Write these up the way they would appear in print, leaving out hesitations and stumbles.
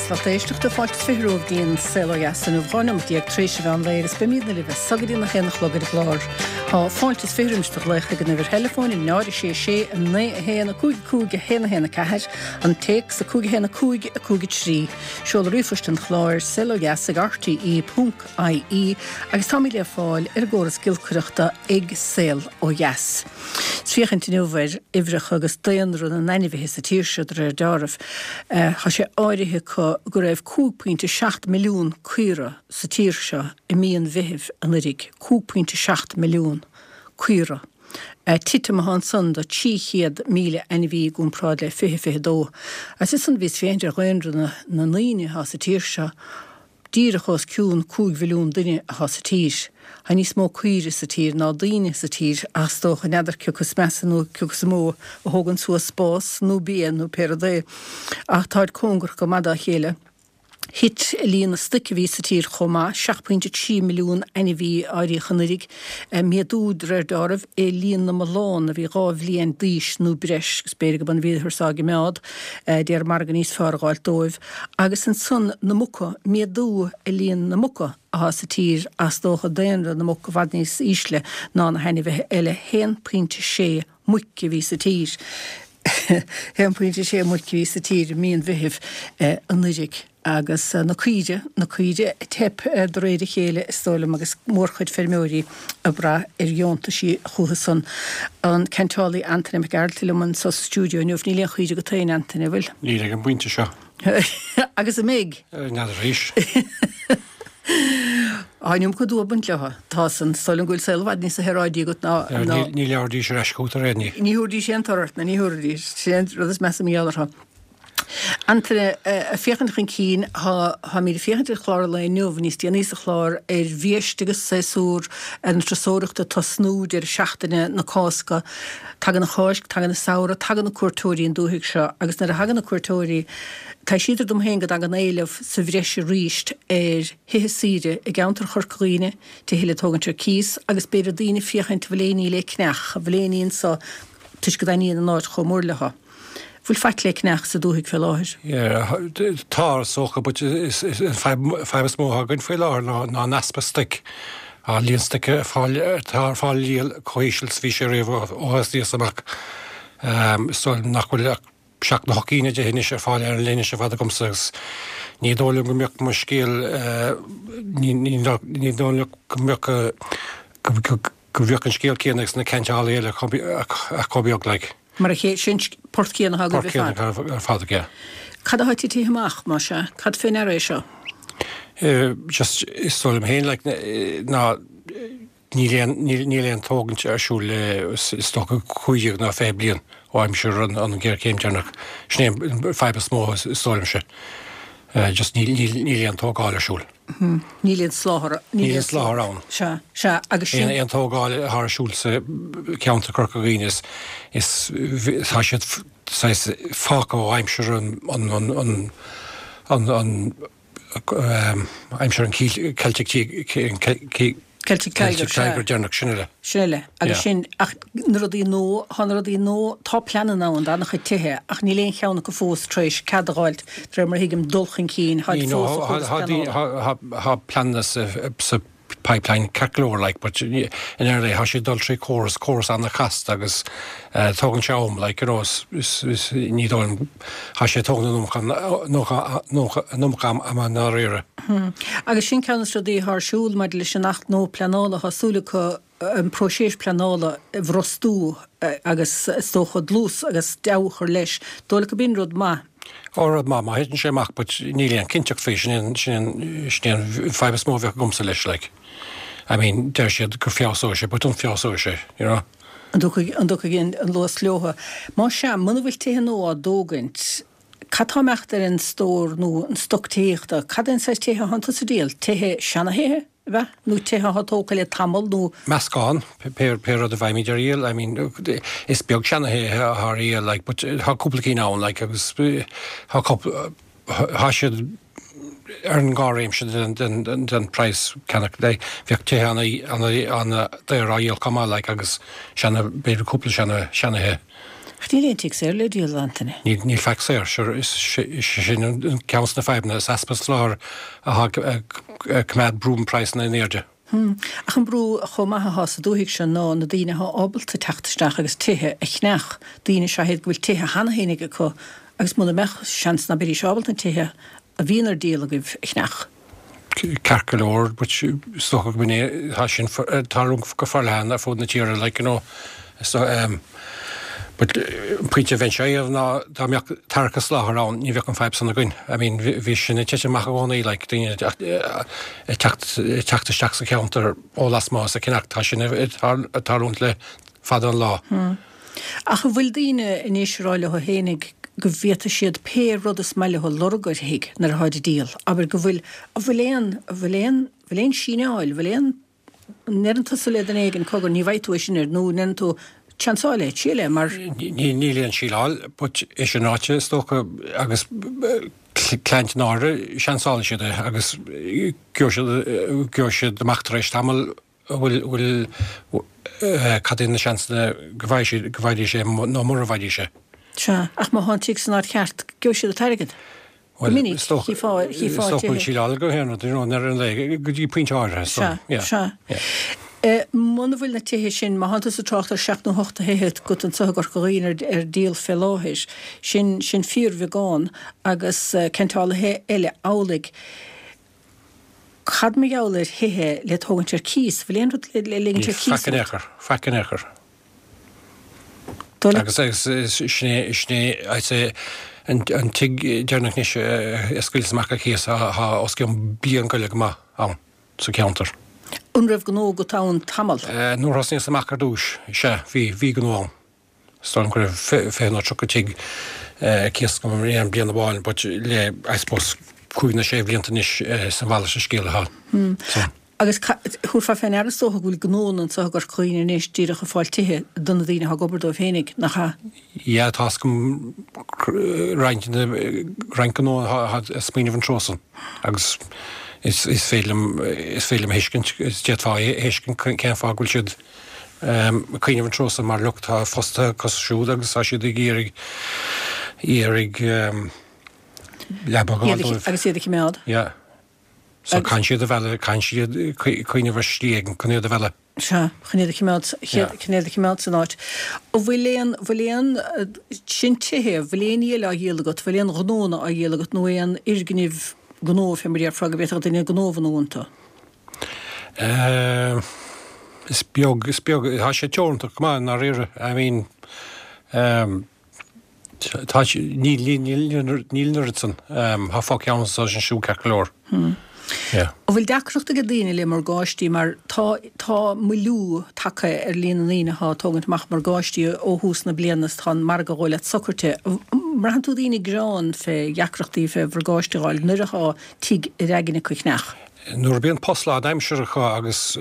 Agus lucht éisteachta, fáilte is 20 romhaibh go dtí an Saol Ó Dheas inniu, 12 nóimeat tar éis an mheán lae agus beimidne libh as so go dtí an 1 a chlog ar an gclár. Tá fáilte is 20 roimis do ghlaoch ag an uimhir theileafóin, 0 6 6 9 1 5 5 1 1 4, an téacs 5 1 5 5 3. Seoladh ríomhphoist an chláir, saolodheas ag rte ponc ie agus táimid le fáil ar an gcóras giolcaireachta ag Saol Ó Dheas. Ag féachaint inniu ar uimhreacha agus daonra na n-ainmhithe sa tír seo de réir deáraimh. Tá sé áirithe acu go raibh 5.7 milliún caora sa tír seo i mí an Mheithimh anuiridh. 5.7 milliún caora. Titim atá ansan de 300,000 ainmhí i gcomparáid le 2022. Agus ansan bhíos ag féachaint ar dhaonra na ndaoine atá sa tír seo. Díreach os cionn 5 mhilliún duine atá sa tír. Tá níos mó caoire sa tír ná daoine sa tír ach is dócha, n'fheadar cé acu is measa nó cé acu is mó a thógann suas spás nó bia nó pé rud é. Ach táid cóngarach go maith dá chéile. Thit líon na stoic a bhí sa tír chomh maith, 7.3 milliún ainmhí a áiríodh anuiridh. Méadú, de réir deáraimh, i líon na mbullán a bhí 2 bhliain d'aois nó breis, agus b'fhéidir go b'in a bhíothar á gcimeád, d'iarraidh margadh níos fearr a dh'fháilt dóibh. Agus ansan na muca, méadú i líon na muca athá sa tír ach is dócha daonra na muc i bhfad níos ísle ná na hainmhithe eile, 1.6 muic a bhí sa tír, 1.6 muic a bhí sa tír i mí an Mheithimh anuiridh. Agus na caoire, na caoire ag teip de réir a chéile is dóigh liom agus mórchuid feirmeoirí ag brath ar dheontaisí chucu san. An ceantálaí Antaine Mac Gearailt liom anso sa stiúideo inniu. Níl aon chaoire agat féin, Antaine, an bhfuil? Níl ag an bpointe seo. Agus an mbeidh? N'fheadar arís. Tá an iomarca dua ag baint leo. Tá san. Is dóigh liom go bhfuil saol i bhfad níos saoráidí agat ná. Ní labhraidís ar ais chugat ar aon ní. Ní thabharfaidís aon toradh ort, ná ní thabharfaidís. Sin é an rud is measa mar gheall orthu. Antaine, ag féachaint chun cinn, táimid ag féachaint ar chlár an lae inniu, níos déanaí sa chlár, ar bhiaiste agus séasúr na turasóireachta ag tosnú, deireadh seachtaine na Cásca. Tagann an Cháisc, tagann an samhradh, tagann na cuairteoirí an dúthaigh seo agus nuair a thagann na cuairteoirí, taibhsítear dom féin go dtagann éileamh sa bhreis arís ar thithe saoire i gceantar Chorca Dhuibhne, tithe le tógaint ar cíos agus b'fhéidir daoine ag féachaint an bhfuil aon ní le ceannach, an bhfuil aon ní anso toisc go dtaitníonn an áit chomh mór leo. Bhfuil faic le ceannach sa dúthaigh fé láthair? Yeah, tá, is dócha, but is an fadhb is mó atá againn faoi láthair ná ná an easpa stoic. Tá líon stoic ar fáil, atá ar fáil le díol chomh híseal is a bhí sé riamh ó thosnaíos amach. Is dóigh liom nach bhfuil ach seacht nó hocht gcinn de thithe anois ar fáil ar an leithinis ar fad agamsa agus ní dóigh liom go mbeadh mo scéal, ní ní ní dóigh liom go mbeadh go go mbeadh an scéal céanna ag na ceantálaithe eile ach chomh beag, like. Mar a chéile, sin port céanna atá agaibh ar fad. Port céanna ar fad aige. Cad atá titithe amach, más ea? Cad fé ndeara é seo? Just, is dóigh liom féin, like, ná níl aon, níl aon tógaint ar siúl le, is dócha, 15 ná 20 bliain ó aimsir an, an ghéarchéim deireanach. Sin é an fadhb is mó, is dóigh liomse. Just níl, níl, níl aon tógáil ar siúl. Níl aon soláthar. Níl aon soláthar ann. Sea, sea, agus sin. Aon tógáil atá ar siúl sa cheantar Corca Dhuibhne is, is, tá siad saghas fágtha ó aimsir an, an, an, an, an, an, aimsir an Celtic Celtic Tiger, sea. Tiger deireanach, sin uile. Sin uile. Agus sin, ach na rudaí nua, tá na rudaí nua, tá pleananna ann d'an-chuid tithe ach níl aon cheann acu fós tar éis cead a dh'fháilt, de réir mar a thuigim, dul chun cinn, táid fós sa chóras pleanála. Tá pleananna sa pipeline ceart go leor, like, but in early, tá siad ag dul trí córas, córas an-chasta agus tógann sé am, like, you know, is, is, is, ní dóigh liom, tá sé ag tógaint an iomarca, an iomarca ama i ndáiríre. Agus sin ceann de na rudaí atá ar siúl maidir leis an Acht nua Pleanála, tá súil acu an próiseas pleanála a bhrostú agus is dócha dlús agus deabhadh a chur leis. Dóigh leat gurb in rud maith? Ó, rud maith má thiteann sé amach but níl aon cinnteacht faoi, sin é sin é an fadhb is mó a bheadh agamsa leis like. I mean, deir siad go feabhsóidh sé but an feabhsóidh sé, you know? An dtiocfaidh an luas leothu? Más ea, muna bhfuil tithe nua á dtógaint, Cad tá ag imeacht ar an stór nó an stoc tithíochta? Cad é an saghas tithe atánn tusa a dhíol? Tithe, seana-thithe, ab ea? Nó tithe atá tógtha le tamall nó. Meascán, pé rud a bhfaighimid ar dhíol. I mean, is beag seana-thithe atá ar dhíol, like, but tá cúpla cinn ann, like, agus tá cúpla, tá siad. ar an dhá réimse den praghas ceannach. Bheadh tithe an-daor á dhíol chomh maith like agus seana, b'fhéidir cúpla seana, seanathithe. Ach níl aon tigh saor le díol, a Antaine. Níl, níl faic saor. Sure, is sin ceann de na fadhbanna, is easpa soláthair atá ag coimeád brú na praghsanna in airde. Ach an brú chomh maith athá sa dúthaigh seo ná na daoine athá ábalta teacht isteach agus tithe a cheannach, daoine is ea iad go bhfuil tithe cheana fhéinig acu agus muna mbeadh, seans ná beidís ábalta na tithe a bhíonn ar díol agaibh a cheannach. Ceart go leor, but is dócha go mb'in é, tá sin ag tarlú go forleathan ar fud na tíre, like, you know, so, um, but an pointe a bheinnse a dhéanamh ná dá mbeadh tearc soláthair ann, ní bheadh an fadhb san againn. I mean, bhí sin ag titim amach i gcónaí, like, daoine ag teacht, ag teacht isteach sa cheantar ó lasmuigh is ag ceannach, tá sin ag tarlúint le fada an lá. Ach an bhfuil daoine anois ag rá leo fhéinig go bhféadfaidh siad pé rud is maith leo a lorg ar thigh nuair atháid ag díol? Abair go bhfuil, an bhfuil aon, an bhfuil aon, an bhfuil aon síneáil, an bhfuil aon, an ndeireann tusa le duine éigin cogar ní bhfaighidh tú é sin air nó an ndeireann tú seansáil é, triail é mar. Níl aon síleáil but é sin ráite is dócha agus cliaint in áirithe seansálfaidh siad é agus gheobhaidh siad amach tar éis tamaill an bhfuil, cad é na seansanna go bhfaighidh siad, go bhfaighidís é nó mura bhfaighidís é. Sea, ach má thá an tigh san áit cheart, gheobhaidh siad an t-airgead. Go minic, chífeá, chífeá tithe. Is dócha go bhfuil síleáil go haon rud, you know, ar an lae, go dtí pointe áirithe, so, yeah. Sea, sea. Muna bhfuil na tithe sin, má thánn tusa ag trácht ar sheacht nó hocht de thithe agat anso i gCorca Dhuibhne ar, ar díol fé láthair, sin, sin fíorbheagán agus ceantálaithe eile amhlaidh. Cad mar gheall ar thithe le tógaint ar cíos? Bhfuil aon rud le ligint ar cíos? Faic in aon chor, faic in aon chor. Agus sin é, sin é, I'd say, an tigh deireanach anois a scaoileas amach ar cíos, tá os cionn bliain go leith go maith ann sa cheantar. An raibh gnó agat ann tamall? Nuair a thosnaíos amach ar dtúis, sea, bhí, bhí gnó ann. Is dóigh liom go raibh 20 nó 30 tigh ar cíos agam in aon bliain amháin but le, I suppose, cúig nó sé bhlianta anois is a mhalairt de scéal atá. So. Agus thabharfá fé ndeara is dócha go bhfuil gnóanna anseo i gCorca Dhuibhne anois díreach ag fáil tithe do na daoine atá ag obair dóibh fhéinig, nach ea? Yeah, tá 'fhios agam roinnt, roinnt gnóanna atá ag smaoineamh an treo san agus is féidir liom, is féidir liom a thuiscint, is d'fhéadfá a thuiscint cén fáth go bhfuil siad ag cuimhneamh an treo san mar look tá fostaithe acu siúd agus tá siad ag iarraidh iarraidh leaba a fháil dóibh. Agus iad a choimeád. Yeah. So caithfidh siad a mhealladh, caithfidh siad cuimhneamh ar shlí éigin chun iad a mhealladh. Sea, chun iad a choimeád, chun iad a choimeád san áit. An bhfuil aon, bhfuil aon, sin tithe, bhfuil aon ní eile á dhíol agat, bhfuil aon ghnónna á dhíol agat nó aon fhoirgnimh gnó fé mar a déarfá go bhféadfadh duine gnó a bhunú iontu? Is beag, is beag, tá sé teoranta go maith i ndáiríre. I mean, tá, níl, níl, níl, níl an oiread san. Tá fo-cheann anso is ansiúd ceart go leor. Yeah. An bhfuil deacracht ag daoine le morgáistí mar tá, tá moilliú tagtha ar líon na ndaoine atá ag tógaint amach morgáistí ó thús na bliana is tá an margadh a dhul socraithe. An mbraitheann tú daoine ag gearán fé dheacrachtaí fé mhorgáiste a dh'fháil nuair atá tigh ar aigne acu a cheannach? Nuair a bíonn post lánaimseartha acu agus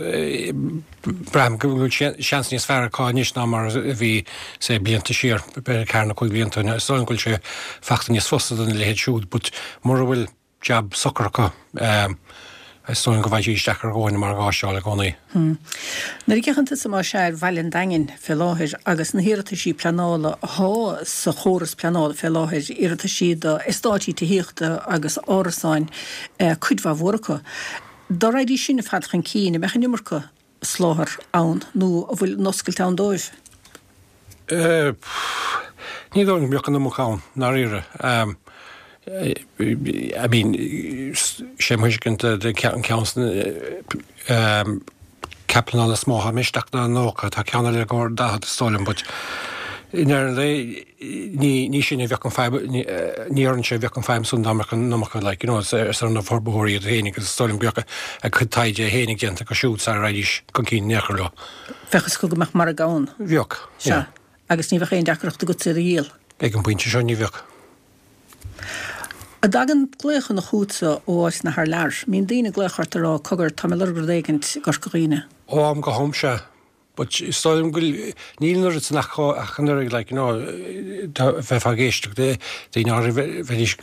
braithim go bhfuil seans níos fearr acu anois ná mar a bhí, say, blianta siar, b'fhéidir ceathair nó cúig blianta ó shin, is dóigh liom go bhfuil sé fachta níos fusa do na leithéid siúd but mura bhfuil jab socair acu, is dóigh liom go bhfaighidh siad isteach ar dhóthain morgáiste a fháil i gcónaí. Nuair a fhéachann tusa más ea ar bhaile an Daingin fé láthair agus na hiarrataisí pleanála athá sa chóras pleanála fé láthair, iarrataisí do eastáití tithíochta agus árasáin, cuid mhaith mhór acu, dá raghaidís sin ar fad chun cinn, an mbeadh an iomarca soláthar ann nó an bhfuil an oscailt ann dóibh? Ní dóigh liom go mbeadh an iomarca ann, i ndáiríre. I mean, sé mo thuiscint de an ceann san cead pleanála is mó atá isteach ná 90, tá ceann eile i gcomhair 40 is dóigh liom, but i ndeireadh an lae ní ní sin a bheadh an fadhb, ní orainne a bheadh an fadhb san dá mbeadh an iomarca like, you know, is ar na forbarthóirí iad féin agus is dóigh liom go mbeadh a gcuid taighde féinig déanta acu siúd sara raghaidís chun cinn in aon chor leo. Bheadh fhios acu go mbeadh margadh ann. Bheadh, yeah. Sea. Agus ní bheadh aon deacracht agat iad a dhíol. Ag an bpointe seo ní bheadh. An dtagann glaochanna chugatsa ó áiteanna thar lear? Mbíonn daoine ag glaoch ort ag rá, cogar, tá mé ag lorg rud éigint i gCorca Dhuibhne. Ó am go ham, sea. But is dóigh liom go bhfuil, níl an oiread san acu ach an oiread, like, you know, bheifeá ag éisteacht le daoine áirithe, bheidís.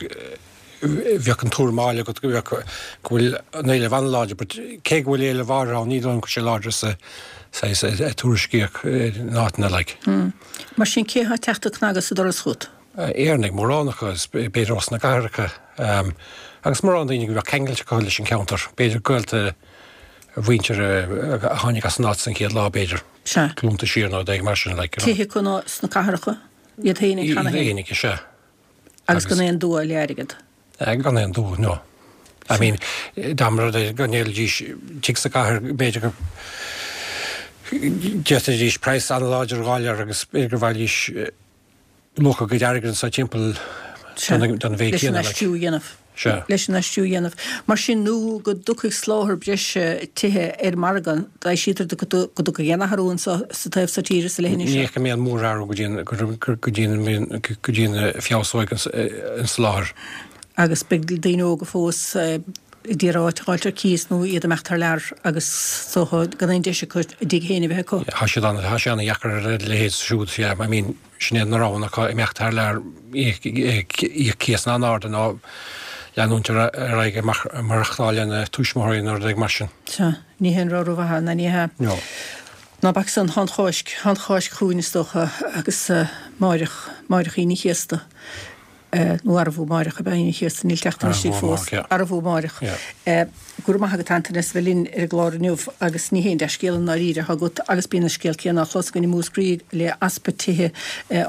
Bheadh an tuairim á fháil agat go bheadh, go bhfuil an éileamh an-láidir but cé go bhfuil éileamh áirithe ann ní dóigh liom go bhfuil sé láidir sa saghas a tuairiscíodh in áiteanna like. Mar sin cé atá ag teacht ag cnagadh sa doras chugat? Éireannaigh, mórán acu is b'fhéidir ós na cathracha agus mórán daoine go bheadh ceangailte acu leis an cheantar, b'fhéidir gaolta a mhuintir a tháinig as an áit san chéad lá b'fhéidir, glúnta siar nó rud éigin mar sin like, you know. Tithe acu sna cathracha, iad féinig cheana féin. Iad féinig, is ea. Agus gan aon dua le airgead. Gan aon dua, no. I mean, dá mba rud é go ndíolfaidís tigh sa gcathair, b'fhéidir go d'fhéadfaidís praghas an-láidir a dh'fháil air agus b'fhéidir go bhfaighidís luach a gcuid airgid anso timpeall don mhéid céanna. Leis an aistriú a dhéanamh. Sea. Leis an aistriú a dhéanamh. Mar sin, nó go dtiocfaidh soláthar breise tithe ar an margadh, aibhsítear go dtiocfaidh aon athrú anso sa taobh so tíre sa leithinis seo. Ní fheicim aon mhórathrú go dtí go dtí go dtí go bhfeabhsóidh an soláthar. Agus beidh daoine óga fós ag iarraidh áit a dh'fháilt ar cíos nó iad ag imeacht thar lear agus is dócha gan aon deis acu a dtigh féin a bheith acu. Tá siad an, tá sé an-dheacair ar a leithéid siúd, yeah, I mean, Sin é na roghanna acu, imeacht thar lear, íoc cíosanna an-arda nó leanúint ar aghaidh ag maireachtáil lena tuismitheoirí nó rud éigin mar sin. Sea, ní haon rogha rómhaith ná ní hea. No. Ná bac san, tá an Cháisc, tá an Cháisc chugainn is dócha agus máireach, máireach Aoine an Chéasta. Nó arbh amáireach ab ea Aoine an Chéasta, níl teacht istigh fós. Arbh amáireach. Go raibh maith agat Antaine as a bheith linn ar an gclár inniu agus ní haon dea-scéal i ndáiríre atá agat agus bíonn an scéal céanna á chlos againn i Múscraí le easpa tithe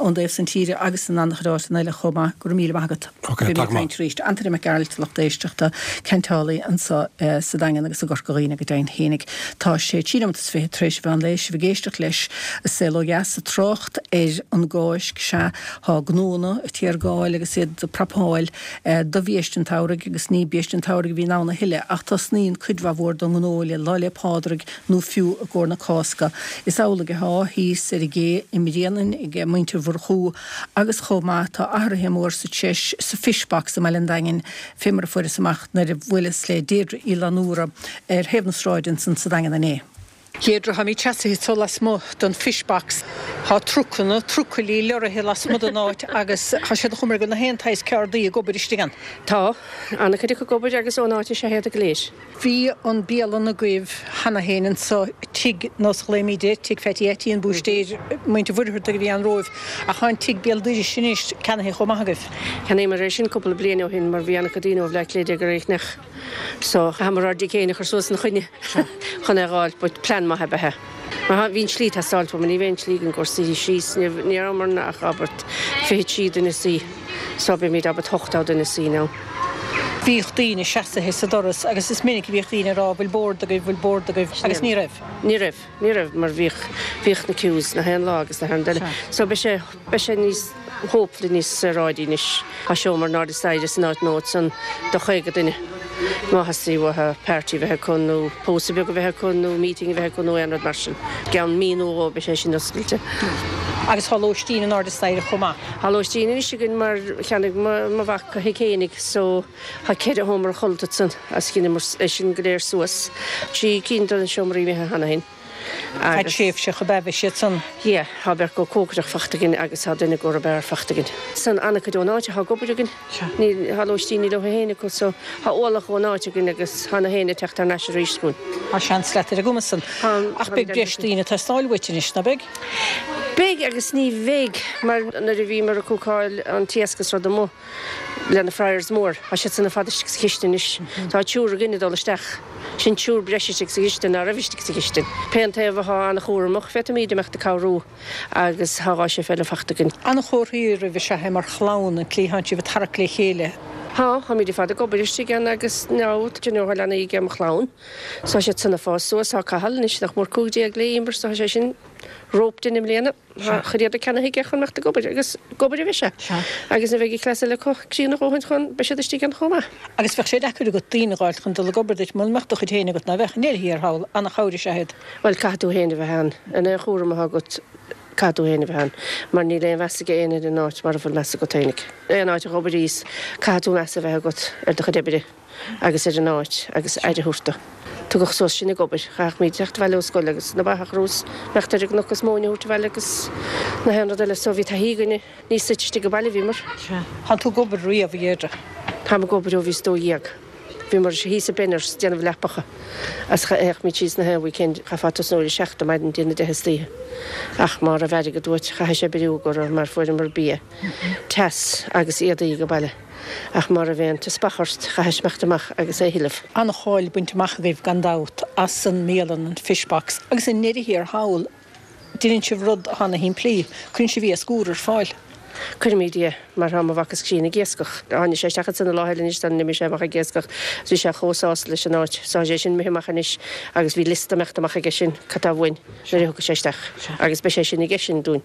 ón dtaobh san tíre agus in an-chuid áiteanna eile chomh maith. Go raibh míle maith agat. Beimid ag caint arís. Antaine Mac Gearailt, lucht éisteachta, ceantálaí anseo sa Daingean agus i gCorca Dhuibhne go deimhin fhéinig. Tá sé 3 nóimeat is 20 tar éis an mheán lae, sibh ag éisteacht leis Saol Ó Dheas ag trácht ar an gCáisc. Sea, Tá gnóanna ag téargáil agus iad ag prapáil do bhiaiste an tsamhraidh agus ní biaiste an tsamhraidh a bhíonn ann a thuilleadh ach tosnaíonn cuid mhaith mhór den ngnó le Lá 'le Pádraig nó fiú i gcomhair na Cásca. Is amhlaidh atá thíos ar an gcé i mBréanainn ag muintir Mhurchú agus chomh maith tá athruithe mór sa treis sa Fish Box i mBaile an Daingin fé mar a fuaireas amach nuair a bhuaileas le Deirdre Uí Fhlannúra ar thaobh na sráide ansan sa Daingean inné. Deirdre, táimid seasaithe anso lasmuigh den Fish Box. Tá trucanna, trucailí, leoraithe lasmuigh den áit agus tá siad an chuma air go bhfuil na haon tsaghas ceardaí ag obair istigh ann. Tá, an-chuid acu ag obair agus ón áit is ea iad go léir. Bhí an bialann agaibh cheana féin anso, tigh, nós a ghlaoimid air, Tigh Pheaití Eití, an búistéir, muintir Mhuircheartaigh a bhí ann romhaibh, ach tá an tigh béal dorais anois ceannaithe chomh maith agaibh. Cheannaíomar é sin cúpla bliain ó shin mar bhí an-chuid daoine ó Bhleá Cliath ag iarraidh é a cheannach. So, chaitheamar ár dtigh féin a chur suas ina choinne chun é a dh'fháilt, but plean maith ab ea é. Mar bhí an tslí ag teastáilt uaim, ní bheidh an tslí againn i gcomhair suí síos, ní rabhamarna ach about 23 duine suí, so beimid about 80 duine suí now. Bhíodh daoine seasaithe sa doras agus is minic a bhíodh daoine ag rá bhfuil bord agaibh, bhfuil bord agaibh agus ní raibh. Ní raibh, ní raibh mar bhíodh, bhíodh na queues na haon lá agus na haon duine. So beidh sé, beidh sé níos. hopefully níos saoráidí anois. Tá seomra in airde staighre san áit nua ansan do 50 duine. Má theastaíonn uathu party a bheith acu nó pósadh beag a bheith acu nó meeting a bheith acu nó aon rud mar sin. I gceann mí nó dhó beidh sé sin oscailte. Agus tá lóistín in airde staighre chomh maith. Tá lóistín anois againn mar cheannaigh mo mhac a thigh fhéinig so tá ceithre sheomra chodlata ansan agus dheineamar é sin go léir suas. Trí cinn de na seomraí imithe cheana féin. Fad tréimhseach ab ea bheidh siad san. Yeah, tá beirt go cócaireacht fachta againn agus tá duine go beár fachta againn. San an-chuid ón áit atá ag obair againn. Níl, tá lóistíní leo féin acu so tá ualach ón áit againn agus tá na héinne ag teacht thar n-ais arís chugainn. Tá seans leat ar an gcuma san. Ach beidh breis daoine ag teastáil uait anois, ná beidh? Beidh agus ní bheidh mar nuair a bhíomar ag cúcáil an t-iasc is rud amuigh, le na fryers mór. Tá siad san ar fad istigh sa chistin anois. Tá triúr againn ag dul isteach. Sin triúr breise istigh sa chistin ná raibh istigh sa chistin. Pé an taobh athá an-chúramach, féadfaimíd imeacht ag cabhrú agus thá dhá chef eile fachta againn. An-chomhartha oraibh is ea é mar chlann, an tslí thánn sibh ag tarrac le chéile. Thá, tháimíd ar fad ag obair istigh ann agus now, do you know, thá leanaí ag mo chlann. So tá siad san ag fás suas, thá Cathal anois nach mór 15 le Emer so thá sé sin roped in i mbliana. Tá a chuid éadaí ceannaithe aige chun imeacht ag obair agus ag obair a bheidh sé. Agus nuair a bheidh an cleas eile acu críonna a dhóthain chun, beidh siad istigh ann chomh maith. Agus bheadh sé deacair agat daoine a dh'fháilt chun dul ag obair duit muna mbeadh do chuid féin agat, ná bheadh? I ndeireadh thiar thall, ana-chabhair is ea iad. Bhuel, caithfidh tú féin a bheith ann. In aon chúram atá agat, caithfidh tú féin a bheith ann. Mar níl aon mheas ag éinne ar an áit mara bhfuil meas agat féinig. Aon áit a dh'obair caithfidh tú meas a bheith agat ar do chuid oibre. agus ar an áit agus aire a thabhairt dó. Tugadh suas sinn ag obair. Chaithfeadh teacht abhaile ó scoil agus na ba a chur suas, imeacht ar an gcnoc is móin a thabhairt abhaile agus na haon rud eile. So bhí taithí againne. Ní suite istigh sa bhaile a bhíomar. Sea. Thánn tú ag obair riamh, a Dheirdre? Táim ag obair ó bhíos 12. Bhíomar thíos i Benners déanamh leapacha agus théimid síos na haon weekend, chaithfeá tosnú ar a seacht ar maidin dtí na deich istoíche. Ach má raibh airgead uait chaithfeá oibriú go raibh mar fuaireamar bia teas agus éadaí go baile. Ach má raibh aon teaspach ort chaithfeá imeacht amach agus é a thuilleamh. An-cháil bainte amach agaibh gan dabht as an mbialann, an Fish Box, agus i ndeireadh thiar thall, Déanann sibh rud atá ana shimplí, cuireann sibh iasc úr ar fáil. Cuirimid é, mar tá mo mhac is críonna ag iascach. Tháinig sé isteach ansan an lá eile anois sula n-imigh sé amach ag iascach agus bhí sé chomh sásta leis an áit. So tá sé sin imithe amach anois agus bhí liosta imeacht amach aige sin cad tá uainn nuair a thiocfaidh sé isteach agus beidh sé sin aige sin dúinn.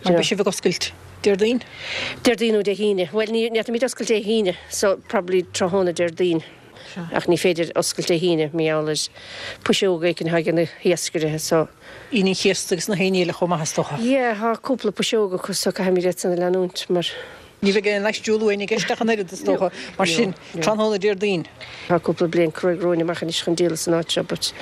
Mar beidh sibh ag oscailt Déardaoin? Déardaoin nó Dé hAoine. Bhuel ní fhéadfaimid oscailt Dé hAoine so probably tráthnóna Déardaoin. Ach ní féidir oscailt Dé hAoine mar gheall ar puiseoga éicint atá ag na hiascairithe so. Aoine an Chéasta agus na hAoine eile chomh maith is dócha. Yeah, tá cúpla puiseog acu so caithfimid iad san a leanúint mar. Ní bheidh aon aistriú luain i gceist ach an oiread is dócha, mar sin, tráthnóna Déardaoin. Tá cúpla bliain cruaidh romhainn amach anois chun díol as an áit seo but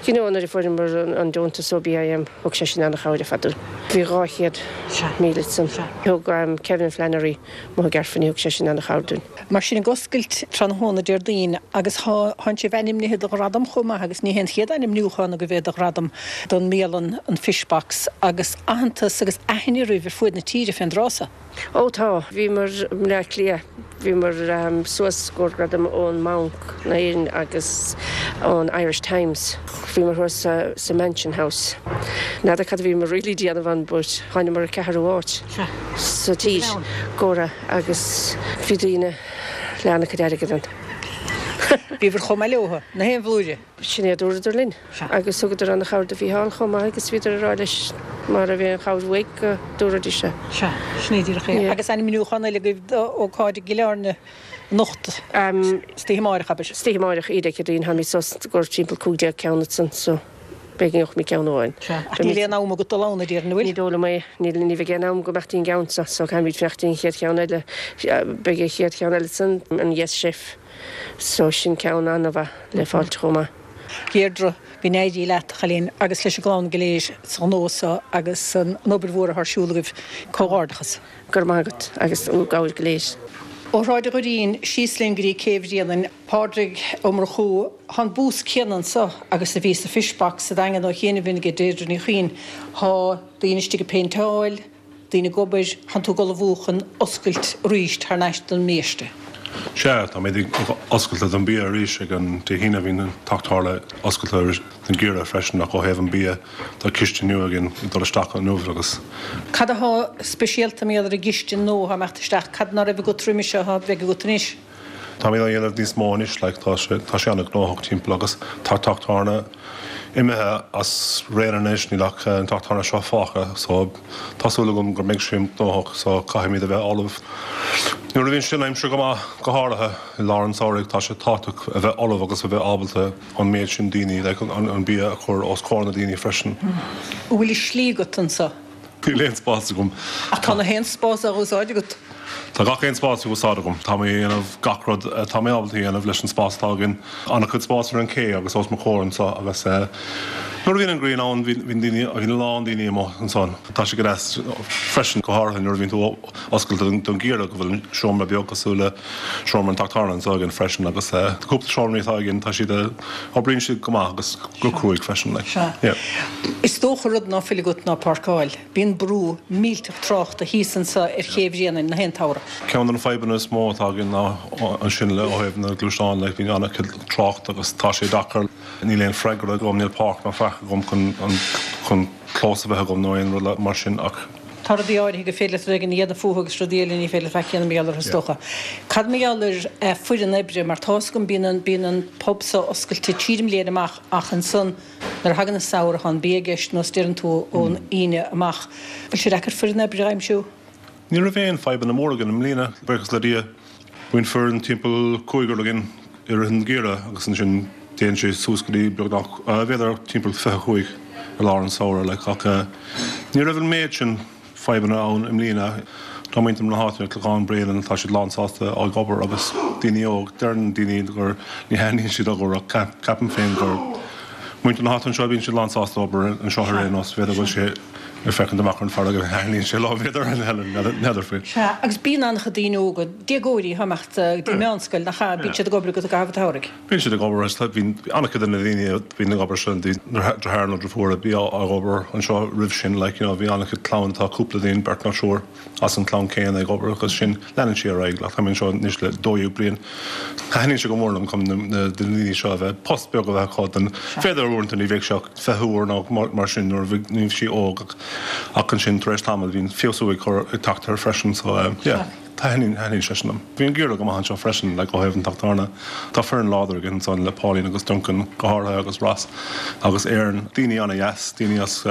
you know nuair a fuaireamar an deontas ó BIM thug sé sin an-chabhair ar fad dúinn. Bhí 200,000 ansan. Thug Kevin Flannery amuigh i gCaerffini thug sé sin an-chabhair dúinn. Mar sin ag oscailt tráthnóna Déardaoin agus thánn sibh ainmnithe do ghradam chomh maith agus ní hé an chéad ainmniúchán agaibh é do ghradam don mbialann an Fish Box agus aitheantas agus aithne oraibh ar fuaid na tíre fén dtráth so. Ó tá, bhíomar i mBleá Cliath, bhíomar suas i gcomhair gradam ón mBanc na hÉireann agus ón Irish Times. Bhíomar thuas sa Mansion House. N'fheadar cad a bhíomar really déanamh ann but thánamar ar ceathrú áit sa tír go raibh agus bhí daoine le an-chuid airgid ann. Bhíobhair chomh maith leo, na haon bhlúire. Sin é a dúradar linn. Agus thugadar an-chabhair do Mhícheál chomh maith agus bhíodar ag rá leis má raibh aon chabhair uaidh go dtabharfaidís é. Sea, sin é díreach é. Agus ainmniúchán eile agaibh d'ócáid i gCill Airne anocht, istoíche amáireach, abair. Istoíche amáireach, Dé Céadaoin, táimid suas i gcomhair timpeall 15 ceann ansan so b'fhéidir go ngeobhaimid ceann amháin. Sea, ach níl aon am agat dul ann, a déarfainn, an bhfuil? Ní dóigh liom é. Níl, ní bheidh aon am agam imeacht dtí'n gceann so, so caithfimid fanacht dtí'n chéad cheann eile. Beidh an chéad cheann eile ansan, an Yes Chef, so sin ceann an-mhaith le fáilt chomh maith. Deirdre, Go n-éirí leat, a chailín, agus leis an gclann go léir sa ghnó so agus an obair mhór atá ar siúl agaibh. Comhghairdeachas. Go raibh maith agat agus bhur gcabhair go léir. Ó Shráid an Dhoirín síos linn go dtí Céibh Bhréanainn, Pádraig Ó Murchú, Tá an bús céanna anso agus a bhí sa Fish Box sa Daingean ó chianaibh aige Deirdre Ní Chuinn. Tá daoine istigh ag péinteáil, daoine ag obair, tánn tú ag ullmhú chun oscailt arís thar n-ais don mbiaiste. Sea, táimid ag oscailt don bia arís ag an Dé hAoine. Bhí an Teach Tábhairne oscailte don gheimhreadh freisin ach ó thaobh an bia tá cistin nua againn ag dul isteach inniu agus. Cad athá speisialta mar gheall ar an gcistin nua athá ag imeacht isteach? Cad ná raibh agat roimis seo athá bheidh agat anois? Táimid á dhéanamh níos mó anois, like, tá sé, tá sé an-ghnóthach timpeall agus tá teach tábhairne imithe as raon anois, níl ach an teach tábhairne seo fágtha, so tá súil agam go mbeidh sé gnóthach, so caithfimid a bheith ullamh. Nuair a bhíonn sé an aimsir go maith, go háirithe i lár an tsamhraidh, tá sé tábhachtach a bheith ullamh agus a bheith ábalta an méid sin daoine, like, an, an bia a chur os comhair na daoine freisin. An bhfuil an slí agat anso? Níl aon spás agam. Ach tá na haon spás á úsáid agat. Tá gach aon spás á úsáid agam. Tá mé ag déanamh gach rud atá mé ábalta a dhéanamh leis an spás atá againn. An-chuid spáis ar an ché agus os mo chomhair anseo agus nuair a bhíonn an ghrian ann bíonn daoine, bíonn a lán daoine amuigh ansan. Tá sé go deas freisin, go háirithe nuair a bhíonn tú oscailte don gheimhreadh go bhfuil seomra beag cosúil le seomra an teach tábhairne anseo againn freisin agus cúpla seomraí atá againn tá siad, oibríonn siad go maith agus go cruaidh freisin like. Sea. Yeah. Is dócha rud ná fuil agat ná páirceáil. Bíonn brú millteach tráchta thíos anso ar Ché Bhréanainn na haon tsamhradh. Ceann de na fadhbanna is mó atá againn ná ansin le ó thaobh na gluaisteán like bíonn an-chuid trácht agus tá sé deacair. Níl aon freagra agam, níl páirc ná faic agam chun chun clós a bheith agam nó aon rud mar sin ach. Tá rudaí áirithe gur féidir leat rud éigin a dhéanamh fúthu agus rudaí eile ní féidir leat faic a dhéanamh mar gheall orthu is dócha. Cad mar gheall ar foireann oibre, mar tá's agam bíonn an, bíonn an pub so oscailte tríd an mbliain amach ach ansan nuair a thagann an samhradh tá an bia i gceist nós deireann tú ón Aoine amach. Bhfuil sé deacair foireann oibre a aimsiú? Ní raibh aon fadhbanna móra againn i mbliana, buíochas le Dia. Bíonn foireann timpeall cúigear againn i rith an gheimhridh agus ansin téann sé suas go dtí beagnach, b'fhéidir timpeall 25 i lár an samhradh like ach ní raibh an méid sin fadhbanna ann i mbliana. Tá muintir na háite, Clochán Bréanainn, tá siad lán sásta ag obair agus daoine óg, deireann daoine gur ní thaitníonn siad obair ach ceapaim féin gur muintir na háite anseo bíonn siad lán sásta obair anseo ar aon nós, b'fhéidir go bhfuil sé. Ag féachaint amach ar an bhfarraige, thaitníonn sé liom, b'fhéidir, n'fheadar faoi. Sea, agus bíonn an-chuid daoine óga, déagóirí atá ag imeacht go dtí meánscoil, nach ea? Bíonn siad ag obair agat i gcaitheamh an tsamhraidh. Bíonn siad ag obair, bíonn an-chuid de na daoine a bhíonn ag obair seo, deartháir nó deirfiúr a bhí ag obair anseo roimh sin, like, you know, bhí an-chuid clann, tá cúpla duine, beirt nó triúr. as an chlann céanna ag obair agus sin leanann sé ar aghaidh like tá mé anseo anois le 12 bliain. Thaitníonn sé go mór liom chun na daoine seo a bheith post beag a bheith acu don b'fhéidir uaireanta ní bheadh sé ach 20 uair nó mar sin nuair a bhí sí óg ach ansin tar éis tamaill bhíonn feabhsú ag cur ag teacht air freisin so yeah thaitníonn thaitníonn sé sin liom. Bhí an geimhreadh go maith anseo freisin like ó thaobh an teach tábhairne. Tá foireann láidir againn ansan le Pauline agus Duncan go háirithe agus Ross agus Aaron daoine ana-dheas daoine as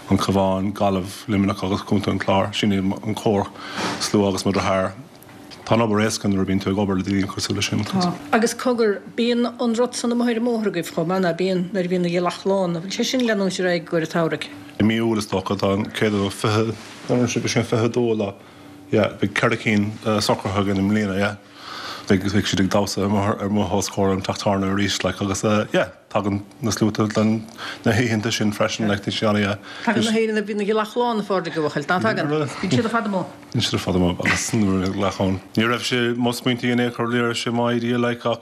An Cabhán, Gaillimh, Luimneach agus Contae an Chláir. Sin iad an cór-slua agus mo dheartháir. Tá an obair éasca nuair a bhíonn tú ag obair le daoine cosúil leis sin. Tá. Agus cogar, bíonn an rud san amuigh ar an mbóthar agaibh chomh maith, ná bíonn, nuair a bhíonn an ghealach lán? An bhfuil sé sin ag leanúint ar aghaidh i gcomhair an tsamhraidh? I mí Iúil is dócha, tá an 120, an bhfuil sé 22 lá, yeah, beidh 4 cinn socraithe againn i mbliana, yeah. Beidh siad ag damhsa amuigh os comhair an teach tábhairne arís, like, agus yeah. Tagann na sluaite don na hoícheanta sin freisin like tá sé ana. Tagann na hÉireann bíonn an ghealach lán a Phádraig a bhuachaill, ná tagann? Bíonn siad ar fad amuigh. Bíonn siad ar fad amuigh agus nuair a ghealach ann. Ní raibh sé mo smaointe in aon chor, ní raibh sé mo idea like ach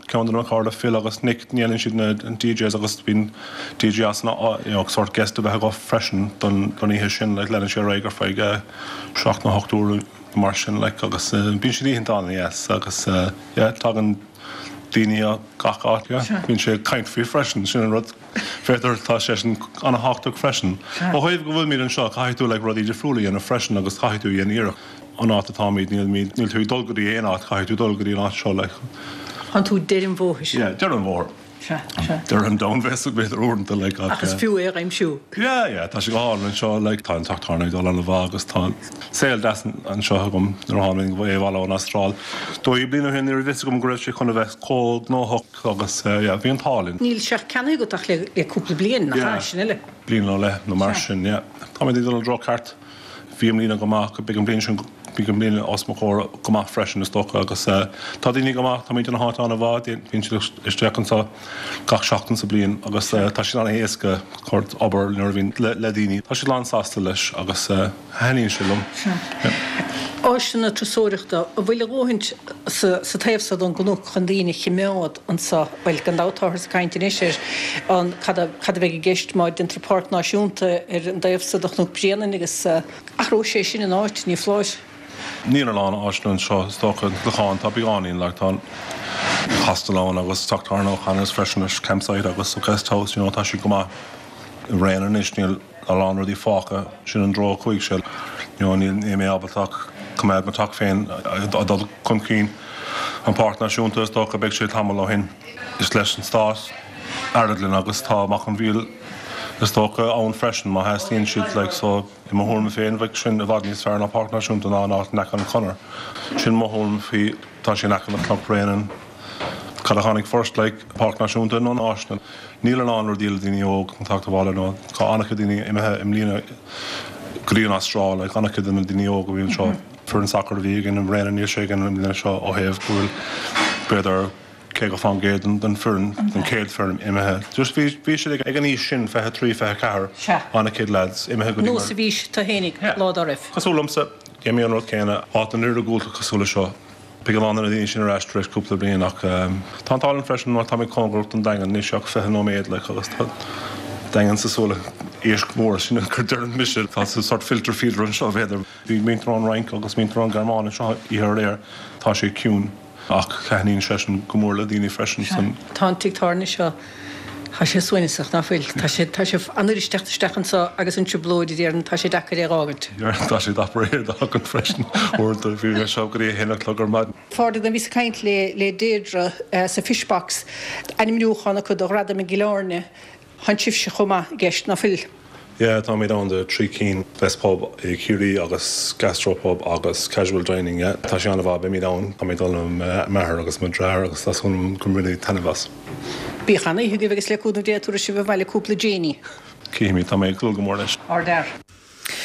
ceann de na cairde Phil agus Nick déanann siad na DJs agus bíonn DJ as an you know sort guest a bheith acu freisin don don oíche sin like leanann sé ar aghaidh ar feadh 7 nó 8 uair mar sin like agus bíonn siad oícheanta an-deas agus yeah tagann daoine ó gach áit. Bíonn sé ag caint faoi freisin, sin an rud. B'fhéidir, tá sé sin an-thábhachtach freisin. Ó thaobh go bhfuilimid anseo, caithfidh tú like rudaí difriúla a dhéanamh freisin agus caithfidh tú a dhéanamh iarracht. An áit atáimid, níl, níl tú ag dul go dtí aon áit, caithfidh tú dul go dtí an áit seo like. Tánn tú deireadh an bhóthair. Yeah, deireadh an bhóthair. Sea, sea. Deireadh an domhain b'fhéidir uaireanta like ach. Ach is fiú é a aimsiú. Yeah, yeah, tá sé go hálainn anseo like tá an teach tábhairne ag dul an-mhaith agus tá saol deas anseo agam nuair a tháinig mé abhaile ón Astráil. 12 bliain ó shin ní raibh fhios agam go raibh sé chun a bheith chomh gnóthach agus yeah bhí an t-ádh linn. Níl sé ach ceannaithe agat ach le le cúpla bliain, nach ea? Sin uile. Bliain nó leith nó mar sin, yeah. Táimid ag dul i dtreo ceart. Bhí i mbliana go maith, beidh an bhliain sin, beidh an bhliain os mo chomhair go maith freisin is dócha agus tá daoine go maith, táimid ina háit an-mhaith, bíonn siad isteach anseo gach seachtain sa bliain agus tá sé an-éasca obair nuair a bhíonn le daoine, tá siad lán-sásta leis agus thaitníonn sé liom. Sea. Áiseanna turasóireachta, an bhfuil a dhóthaint sa taobh so don gcnoc chun daoine a chimeád anseo? Bhuel, gan dabht táthar ag caint anois ar an cad a cad a bheidh i gceist má déantar páirc náisiúnta ar an dtaobh so de Chnoc Bréanainn agus athróidh sé sin an áit, ní foláir. Níl a lán áiseanna anseo is dócha, an Clochán, tá beagáinín like tá an hostel ann agus teach tábhairne O'Connor's freisin is campsite agus guest house, you know, tá siad go maith. I Bhréanainn anois níl a lán rudaí fágtha, sin an treo a chuaigh sé, you know, níl mé ábalta ach coimeád mo teach féin ag dul chun cinn. An Páirc Náisiúnta is dócha beidh sé tamall ó shin. Is leis an Stát Arglann agus tá Mac an Mhíl is dócha ann freisin má theastaíonn siad like so i mo thuairim féin bheadh sin i bhfad níos fearr ná Páirc Náisiúnta ná an áit in aice an Chonair. Sin mo thuairim faoi tá sé in aice le Cnoc Bréanainn. Cad a tháinig first like Páirc Náisiúnta nó na áiseanna? Níl a lán rudaí le daoine óg chun teacht abhaile nó tá an-chuid daoine imithe i mbliana go dtí an Astráil like an-chuid de na daoine óg a bhí anseo. Foireann sacair a bhí againn i mBréanainn níl sé againn i mbliana seo ó thaobh go bhfuil b'fhéidir 50% den foireann, den chéad foireann imithe. Just bhí bhí siad ag an aois sin, 23, 24, an-chuid lads imithe go dtí mar. Nós a bhís tú fhéinig lá dá raibh. Cosúil liomsa, dhein mé an rud céanna, áit an iargúlta cosúil le seo. Beidh a lán de na daoine sin ar ais tar éis cúpla bliain ach tá an t-ádh linn freisin mar táimid cóngarach don Daingean, níl sé ach 20 nóiméad like agus tá Daingean cosúil le éisc mór, sin an deireann mise, tá sort filter feeder anseo b'fhéidir. Bhí muintir ón Fhrainc agus muintir ón Ghearmáin anseo oíche aréir, tá sé ciúin ach taitníonn sé sin go mór le daoine freisin san. Tá an tigh tábhairne seo, tá sé suaimhneasach, ná fuil? Tá sé, tá sé an uair isteach isteach anseo agus an trioblóid a déarfainn, tá sé deacair é a dh'fhágaint. Tá sé deacair é a dh'fhágaint freisin uaireanta, bhí mé anseo go dtí a haon a chlog ar maidin. Phádraig, bhíos ag caint le le Deirdre sa Fishbox, ainmniúchán acu do Ghradaim i gCill Airne, Tánn sibhse chomh maith i gceist, ná fuil? Yeah, táimid ann do 3 cinn, Best Pub i Ciarraí agus Gastro Pub agus Casual Dining, yeah. Tá sé an-mhaith, beimid ann, táimid ag dul le m'athair agus mo dheartháir agus tá súil agam go mbainfidh taitneamh as. Bíodh an-oíche agaibh agus le cúnamh Dé tabharfaidh sibh abhaile cúpla Janie. Cífimid, tá mé ag dúil go mór leis. Ardfhear.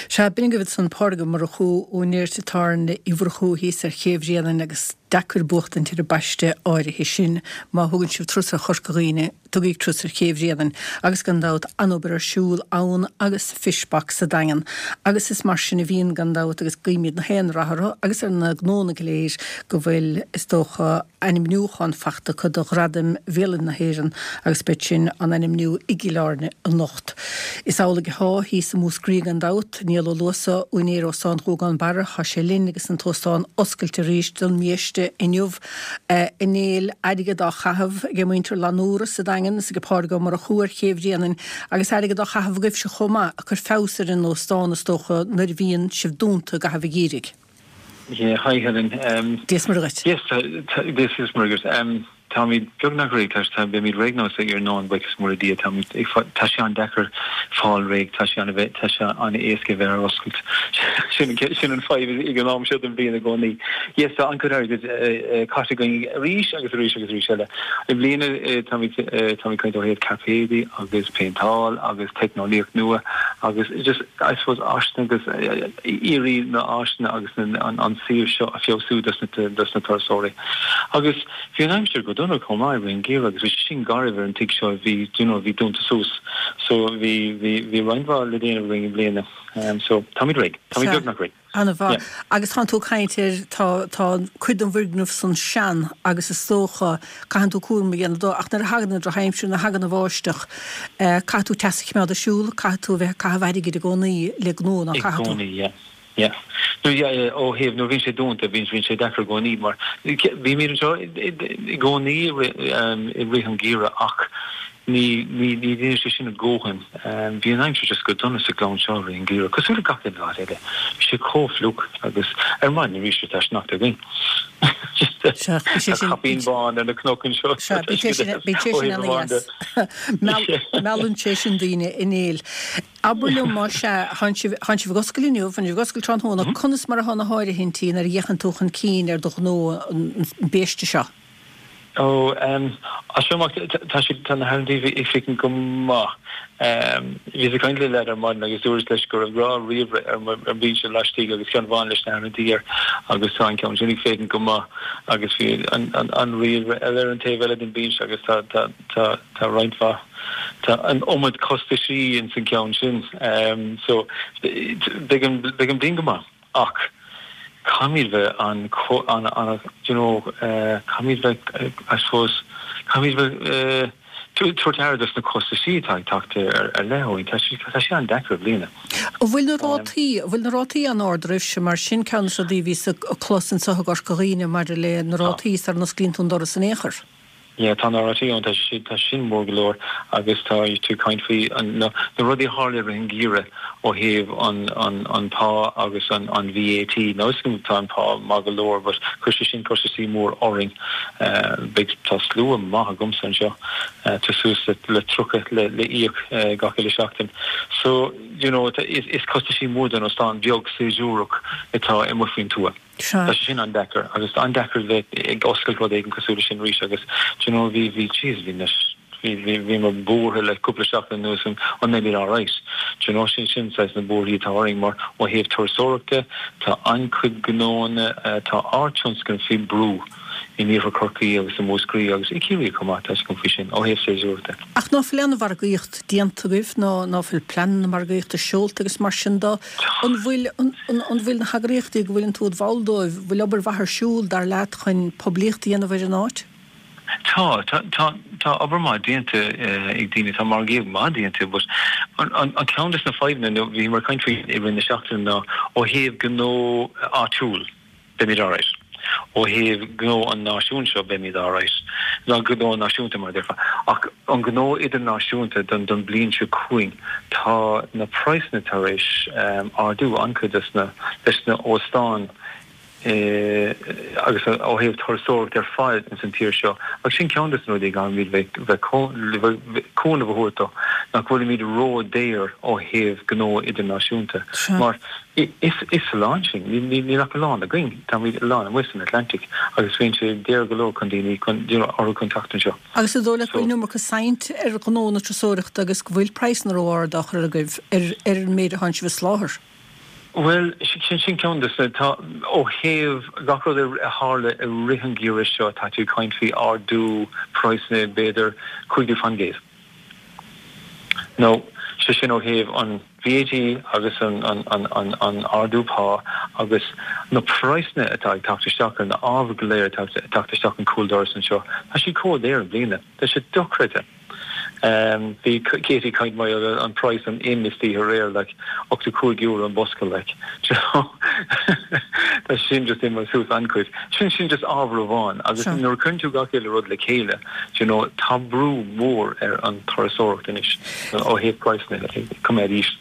Sea, b'in agaibh ansan Pádraig Ó Murchú, úinéir Tigh Tábhairne Uí Mhurchú thíos ar Ché Bhréanainn agus. Deacair buachtaint ar an bpaiste áirithe sin má thugann sibh turas ar Chorca Dhuibhne, tugaigí turas ar Ché Bhréanainn agus gan dabht an-obair ar siúl ann agus sa Fish Box sa Daingean. Agus is mar sin a bhíonn gan dabht agus guímid na haon rath orthu agus ar na gnónna go léir go bhfuil, is dócha, ainmniúchán fachta acu do Ghradaim Bhialanna na hÉireann agus beidh sin á n-ainmniú i gCill Airne anocht. Is amhlaidh atá thíos i Múscraí gan dabht. Niall Ó Luasa, úinéir Óstán Ghuagán Barra, tá sé linn agus an t-óstán oscailte arís don mbiaiste inniu. A Néill, airgead á chaitheamh ag muintir Lanúra sa Daingean is ag Pádraig Ó Murchú ar Ché Bhréanainn agus airgead á chaitheamh agaibhse chomh maith ag cur feabhas ar an óstán is dócha nuair a bhíonn sibh dúnta i gcaitheamh an gheimhridh. Yeah, hi Helen. Dia is Muire dhuit. Yes, Dia is Muire dhuit. Táimid beagnach réidh, tá, tá, beimid réidh now sa iarnóin, buíochas mór le Dia, táimid ag, tá sé an-deacair fáil réidh, tá sé an-, tá sé an-éasca bheith ar oscailt. Sin, sin an fadhb ag an am seo den bhliain i gcónaí. Yes, tá an-chuid airgid caite againn arís agus arís agus arís eile. I mbliana táimid, táimid ag caint ó thaobh cairpéidí agus péinteáil agus teicneolaíocht nua agus just, I suppose, áiseanna agus iarraidh na áiseanna agus an suíomh seo a feabhsú dos na turasóirí. Agus bhí an aimsir go dona chomh maith i rith an gheimhridh agus bhí sé sin garbh ar an tigh seo bhí you know bhí dúnta suas so bhí bhí bhí roinnt mhaith le déanamh againn i mbliana. So táimid réidh. Táimid beagnach réidh. An-mhaith. Agus tánn tú ag caint ar, tá, tá cuid den bhfoirgneamh san sean agus is dócha, caitheann tú cúram a dhéanamh dó ach nuair a thagann an drochaimsir, nuair a thagann an bháisteach, caithfidh tú teas a choimeád ar siúl, caithfidh tú a bheith ag caitheamh airgid i gcónaí le gnó, ná I caithfidh tú? gcónaí, yeah. Yeah. No, yeah, yeah, ó thaobh nuair a bhíonn sé dúnta, bíonn, bíonn sé deacair i gcónaí mar bímid anseo i gcónaí i rith an gheimhridh ach Ní, ní, ní dhéanann sé sin a dhóthain. Bhí an aimsir just go dona sa ghleann seo i rith an gheimhridh, cosúil le gach aon áit eile. Bhí sé chomh fliuch agus ar maidin arís tá sneachta againn. Sea, bhí sé Tá sin, caipín bán ar na cnoic anseo. Sea, bhí sé sin, bhí sé Ó sin thaobh amháin de. ana-dheas. Meallann sé sin daoine a Néill. Abair liom, más ea, tánn sibh, tánn sibh ag oscailt inniu, tánn sibh ag oscailt tráthnóna, conas mar atá na háirithintí nuair a fhéachann tú chun cinn ar do ghnó an biaiste seo? Ó, as seo amach, tá siad, tá na háirithintí ag féachaint go maith. Bhíos ag caint le leaid ar maidin agus dúras leis go raibh dhá ríomhaire ar mo bhinse laistigh agus ceann amháin leis na háirithintí air agus tá an ceann sin ag féachaint go maith agus bhí an ríomhaire eile ar an taobh eile den bhinse agus tá, tá, tá, tá roinnt mhaith, tá an iomad costaisí ins an ceann sin. So, beidh an, beidh an bhliain go maith. Ach caithfimid bheith an, an, an, do you know, caithfimid bheith, I suppose, caithfimid bheith tabhairt aire dos na costaisí atá ag teacht ar ar leith uainn. Tá sé, tá sé an-deacair i mbliana. An bhfuil na rátaí, an bhfuil na rátaí an-ard oraibhse mar sin ceann de na rudaí a bhíos ag clos anseo i gCorca Dhuibhne maidir le na rátaí sara n-osclaíonn tú an doras in aon chor? Yeah, tá na rátaí ann, tá sé, tá sin mór go leor agus tá tú ag caint faoi an, na, na rudaí a tharla i rith an gheimhridh ó thaobh an, an, an pá agus an, an VAT. Now is tá an pá maith go leor but chuir sé sin costaisí mór orainn. Beidh, tá slua maith agamsa anseo, tá suas le, le 30 le, le íoc gach uile seachtain. So, you know, is, is costaisí mór don óstán beag séasúrach atá amuigh faoin tuath. Sea. Tá sé sin an-deacair agus an-deacair bheith ag oscailt rud éigin cosúil leis sin arís agus do you know bhí, bhí, jeez, bhí na, bhí, bhí, bhíomar buartha le cúpla seachtain anuas an, an mbeimid alright. Do you know sin, sin saghas na buarthaí atá orainn mar ó thaobh turasóireachta tá an-chuid gnóanna, tá ár tionscal faoi brú in iarthar Chorcaí agus i Múscraí agus i Ciarraí chomh maith, tá a fhios agam faoi sin, ó thaobh séasúrachta. Ach ná fuil aon mhargaíocht déanta agaibh, ná ná fuil pleananna margaíochta seolta agus mar sin de, an bhfuil, an, an bhfuil na heagraíochtaí go bhfuileann tú id bhall dóibh, bhfuil obair mhaith ar siúl, dar leat, chun poiblíocht a dhéanamh ar an áit? Tá, tá, tá, tá obair maith déanta ag daoine, tá margaíocht maith déanta but an, an, an ceann des na fadhbanna, nó bhíomar ag caint faoi i rith na seachtaine ná ó thaobh gnó áitiúil, beimid alright. Ó thaobh gnó an náisiúin seo, beimid alright. Nó gnó náisiúnta, mar a déarfá. Ach an gnó idirnáisiúnta don don bliain seo chugainn, tá na praghsanna tar éis ardú an-chuid des na leis na óstáin agus ó thaobh turasóireacht ar fad ins an tír seo. Agus sin ceann des na rudaí a gcaithfimid bheith bheith cúnamh a thabhairt dó, nach bhfuilimid ró-daor ó thaobh gnó idirnáisiúnta. Mar Is oileán sinn. Níl ach oileán againn. Táimid oileán amuigh san Atlantic agus bíonn sé daor go leor chun daoine, chun, you know, orthu chun teacht anseo. Agus an dóigh leat go bhfuil an iomarca saint ar ghnó na turasóireachta agus go bhfuil praghsanna ró-ard á chur agaibh ar ar an méid atánn sibh a soláthar? Bhuel, sin sin ceann de na, tá, ó thaobh gach rud a tharla i rith an gheimhridh seo, tá tú ag caint faoi ardú praghsanna b'fhéidir 50%. Nó, sé sin ó thaobh an VAT agus an an ardú pá agus na praghsanna atá ag teacht isteach ar na ábhair go léir atá ag teacht isteach an cúldoras anseo, tá siad chomh daor i mbliana. Tá sé dochreidte. Bhí Katie ag caint mar gheall ar an praghas an im istoíche aréir like €85 an bosca like do you know tá sin just imithe suas an-chuid. Sin sin just ábhar amháin agus nuair a cuireann tú gach uile rud le chéile do you know tá brú mór ar an turasóireacht anois ó thaobh praghsanna coimeád íseal.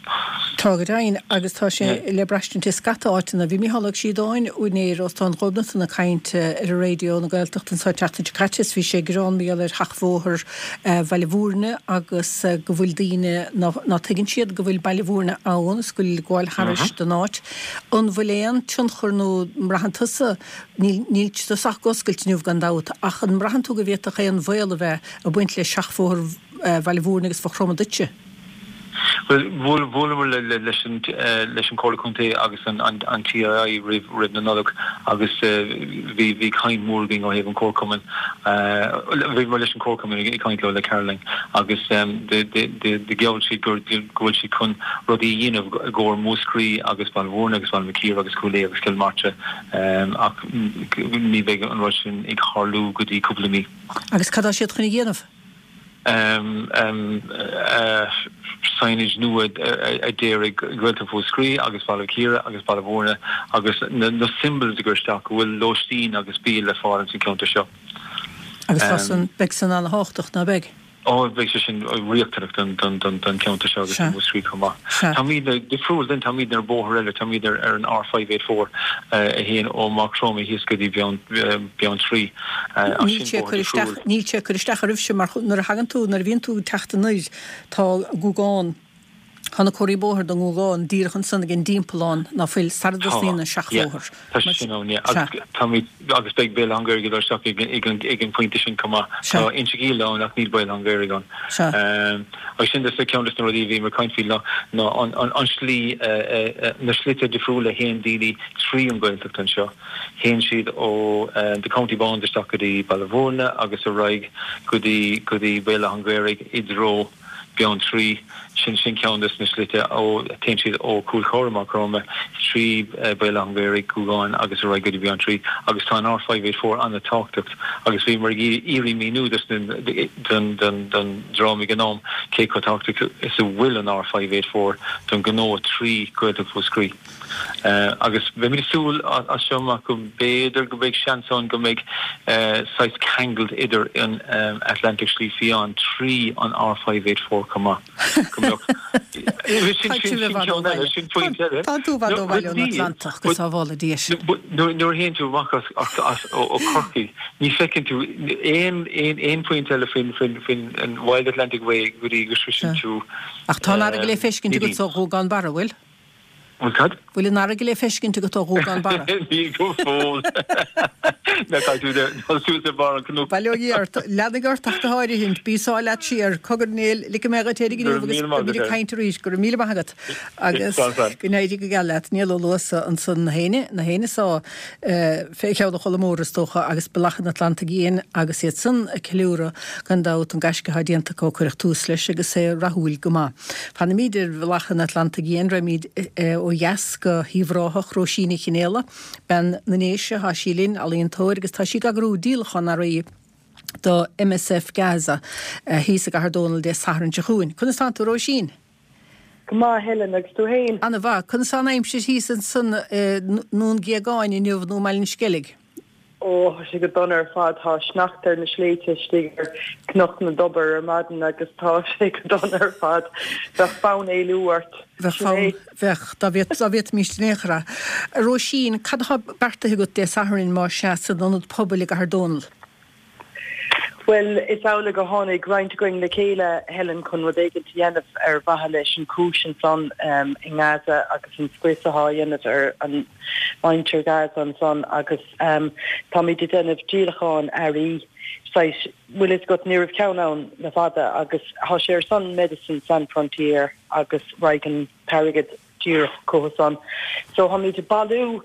Tá go deimhin agus tá sé le braistint i scata áiteanna. Bhí Mícheál Ó Síodáin, úinéir Óstán Ghobnatan ag caint ar Raidió na Gaeltachta anseo an tseachtain seo caite is bhí sé ag gearán mar gheall ar Sheachbhóthar Bhaile Bhúirne agus go bhfuil daoine ná tuigeann siad go bhfuil Baile Bhúirne ann is go bhfuil ag gabháil thairis don áit. An bhfuil aon tionchar nó an mbraitheann tusa, níl níl tusa ach ag oscailt inniu gan dabht, ach an mbraitheann tú go bhféadfadh aon bhaol a bheith ag baint le Seachbhóthar Bhaile Bhúirne agus Mhaigh Chromtha duitse? Bhuel, bhuaileamar leis an Chomhairle Contae agus an TII roimh na Nollag agus bhí caint mhór againn ó thaobh an Chomharchumainn. Bhíomar leis an Chomharchumann ag caint leo, le Caroline, agus do gheall siad go bhfuil siad chun rudaí a dhéanamh i gcomhair Mhúscraí agus Baile Bhúirne agus Baile Mhic Íre agus Cúil Aodha agus Cill Martra ach ní bheidh an rud sin ag tharlú go dtí cúpla mí. Agus cad tá siad chun a dhéanamh? signage nua a déarfaidh Gaeltacht Mhúscraí agus Baile Mhic Íre agus Baile Bhúirne agus na symbols a chur isteach go bhfuil lóistín agus bia le fáil ins an cheantar seo. Agus tá san, beidh san ana-thábhachtach, ná beidh? Ó, beidh sé sin riachtanach don cheantar seo agus do Mhúscraí chomh maith. Táimidne difriúil then, táimidne ar bóthar eile, táimid ar an R584 a théann ó Maigh Chromtha thíos go dtí Beanntraí. Níl sé ag cur isteach, níl sé ag cur isteach oraibhse mar nuair a thagann tú, nuair a bhíonn tú ag teacht anoir, tá Guagán, tá na comharthaí bóthair don nGuagán díreach ansan ag an dtimpeallán ná fuil, sara dtosnaíonn an seachbhóthar. Tá sé sin ann, yeah. Agus táimid, agus beidh Béal Átha an Ghaorthaidh ag dul isteach ag an, ag an phointe sin chomh maith. Tá Inse Gall ann ach níl Béal Átha an Ghaorthaidh ann. Agus sin just ceann des na rudaí a bhíomar ag caint faoi ná, ná an, an, an slí, na slite difriúla a théann daoine trí an Ghaeltacht anseo. Théann siad ó the County Bound isteach go dtí Baile Bhúirne agus ar aghaidh go dtí go dtí Béal Átha an Ghaorthaidh i dtreo Beanntraí. Sin sin ceann des na slite ó téann siad ó Chúil Chorra Maigh Chromtha trí Béal Átha an Ghaorthaidh, Guagán agus ar aghaidh go dtí Beanntraí agus tá an R584 an-tábhachtach agus bhíomar ag iarraidh míniú dos na don don don dream ag an am cé chomh tábhachtach is a bhfuil an R584 don ghnó trí Ghaeltacht Mhúscraí. Agus beimid ag súil as seo amach go mb'fhéidir go mbeidh seans ann go mbeidh saghas ceangal idir an Atlantic Slí Fiáin trí an R584 chomh maith. Go mbeadh. Sin ceann eile, sin pointe eile. Tá tú i bhfad ó bhaile ón Atlantach, go sábhála Dia sinn. Nuair a théann tú amach as ó Chorcaigh, ní feiceann tú aon aon pointe eile faoin faoin Wild Atlantic Way go dtí go sroiseann tú. Ach tá an fharraige le feiscint agat ó Ghuagán Barra, bhfuil? Bhfuil cad? Bhfuil an fharraige le feiscint agat ó Ghuagán Barra? Níl go fóill. Ná caithfidh tú dul suas ar bharr an cnoc. Bail ó Dhia ort. Leanfaidh ort ach go háirithint. Bí sár leat siar. Cogar Néill, ligfidh mé dhuit éirigh inniu agus beimid ag caint arís. Go raibh míle maith agat agus go n-éirí go geal leat. Niall Ó Luasa ansan na héinne, na héinne sá fé cheann an Cholla Mór is dócha agus Bealach an Atlantaigh Fhiáin agus iad san ag ceiliúradh gan dabht an gaisce atá déanta acu ó cuireadh tús leis agus é rathúil go maith. Fanfaimid ar Bhealach an Atlantaigh Fhiáin, raghaimid ó dheas go hUíbh Ráthach, Róisín Ní Chionnfhaolaidh, bean na nDéise, tá sí linn, ealaíontóir agus tá sí ag eagrú díolachán earraí do MSF Gaza thíos i gCathair Dónall Dé Sathairn seo chugainn. Conas tánn tú a Róisín? Go maith, Helen, agus tú fhéin? Ana mhaith. Conas tá an aimsir thíos ansan i nDún Géagáin inniu nó i mBaile an Sceilg? Ó, tá sé go dona ar fad. Tá sneachta ar na sléibhte istigh ar Chnoc na dTobar ar maidin agus tá sé go dona ar fad. Bheadh fonn éalú ort. Bheadh fonn, bheadh, dá bhféadfaimíst in aon chor é. A Róisín, cad atá beartaithe agat Dé Sathairn, más ea, san Ionad Pobail i gCathair Dónall? Bhuel, is amhlaidh gur tháinig roinnt againn le chéile, Helen, chun rud éigin a dhéanamh ar mhaithe leis an chúis ansan i nGaza agus an scrios atá á dhéanamh ar an muintir Gaza ansan agus táimid ag déanamh díolachán earraí saghas, bhfuil fhios agat, ní raibh ceann ann le fada agus tá sé ar son Médecins Sans Frontières agus raghaidh an t-airgead. díreach chucu san. So tháimid ag bailiú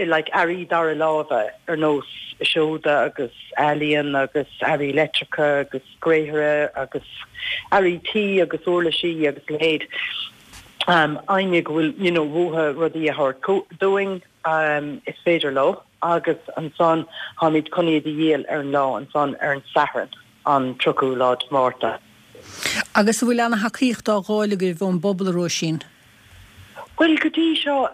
like earraí dara láimhe ar nós seoda agus ealaíon agus earraí leictreacha agus gréithre agus earraí tí agus uirlisí agus a leithéid. Éinne go bhfuil you know uathu rudaí a thabhairt dúinn is féidir leo agus ansan táimid chun iad a dhíol ar an lá ansan ar an Satharn an 30ú lá de Mhárta. Agus an bhfuil ana-thacaíocht á dh'fháil agaibh ón bpobal, a Róisín? Bhuel, go dtí seo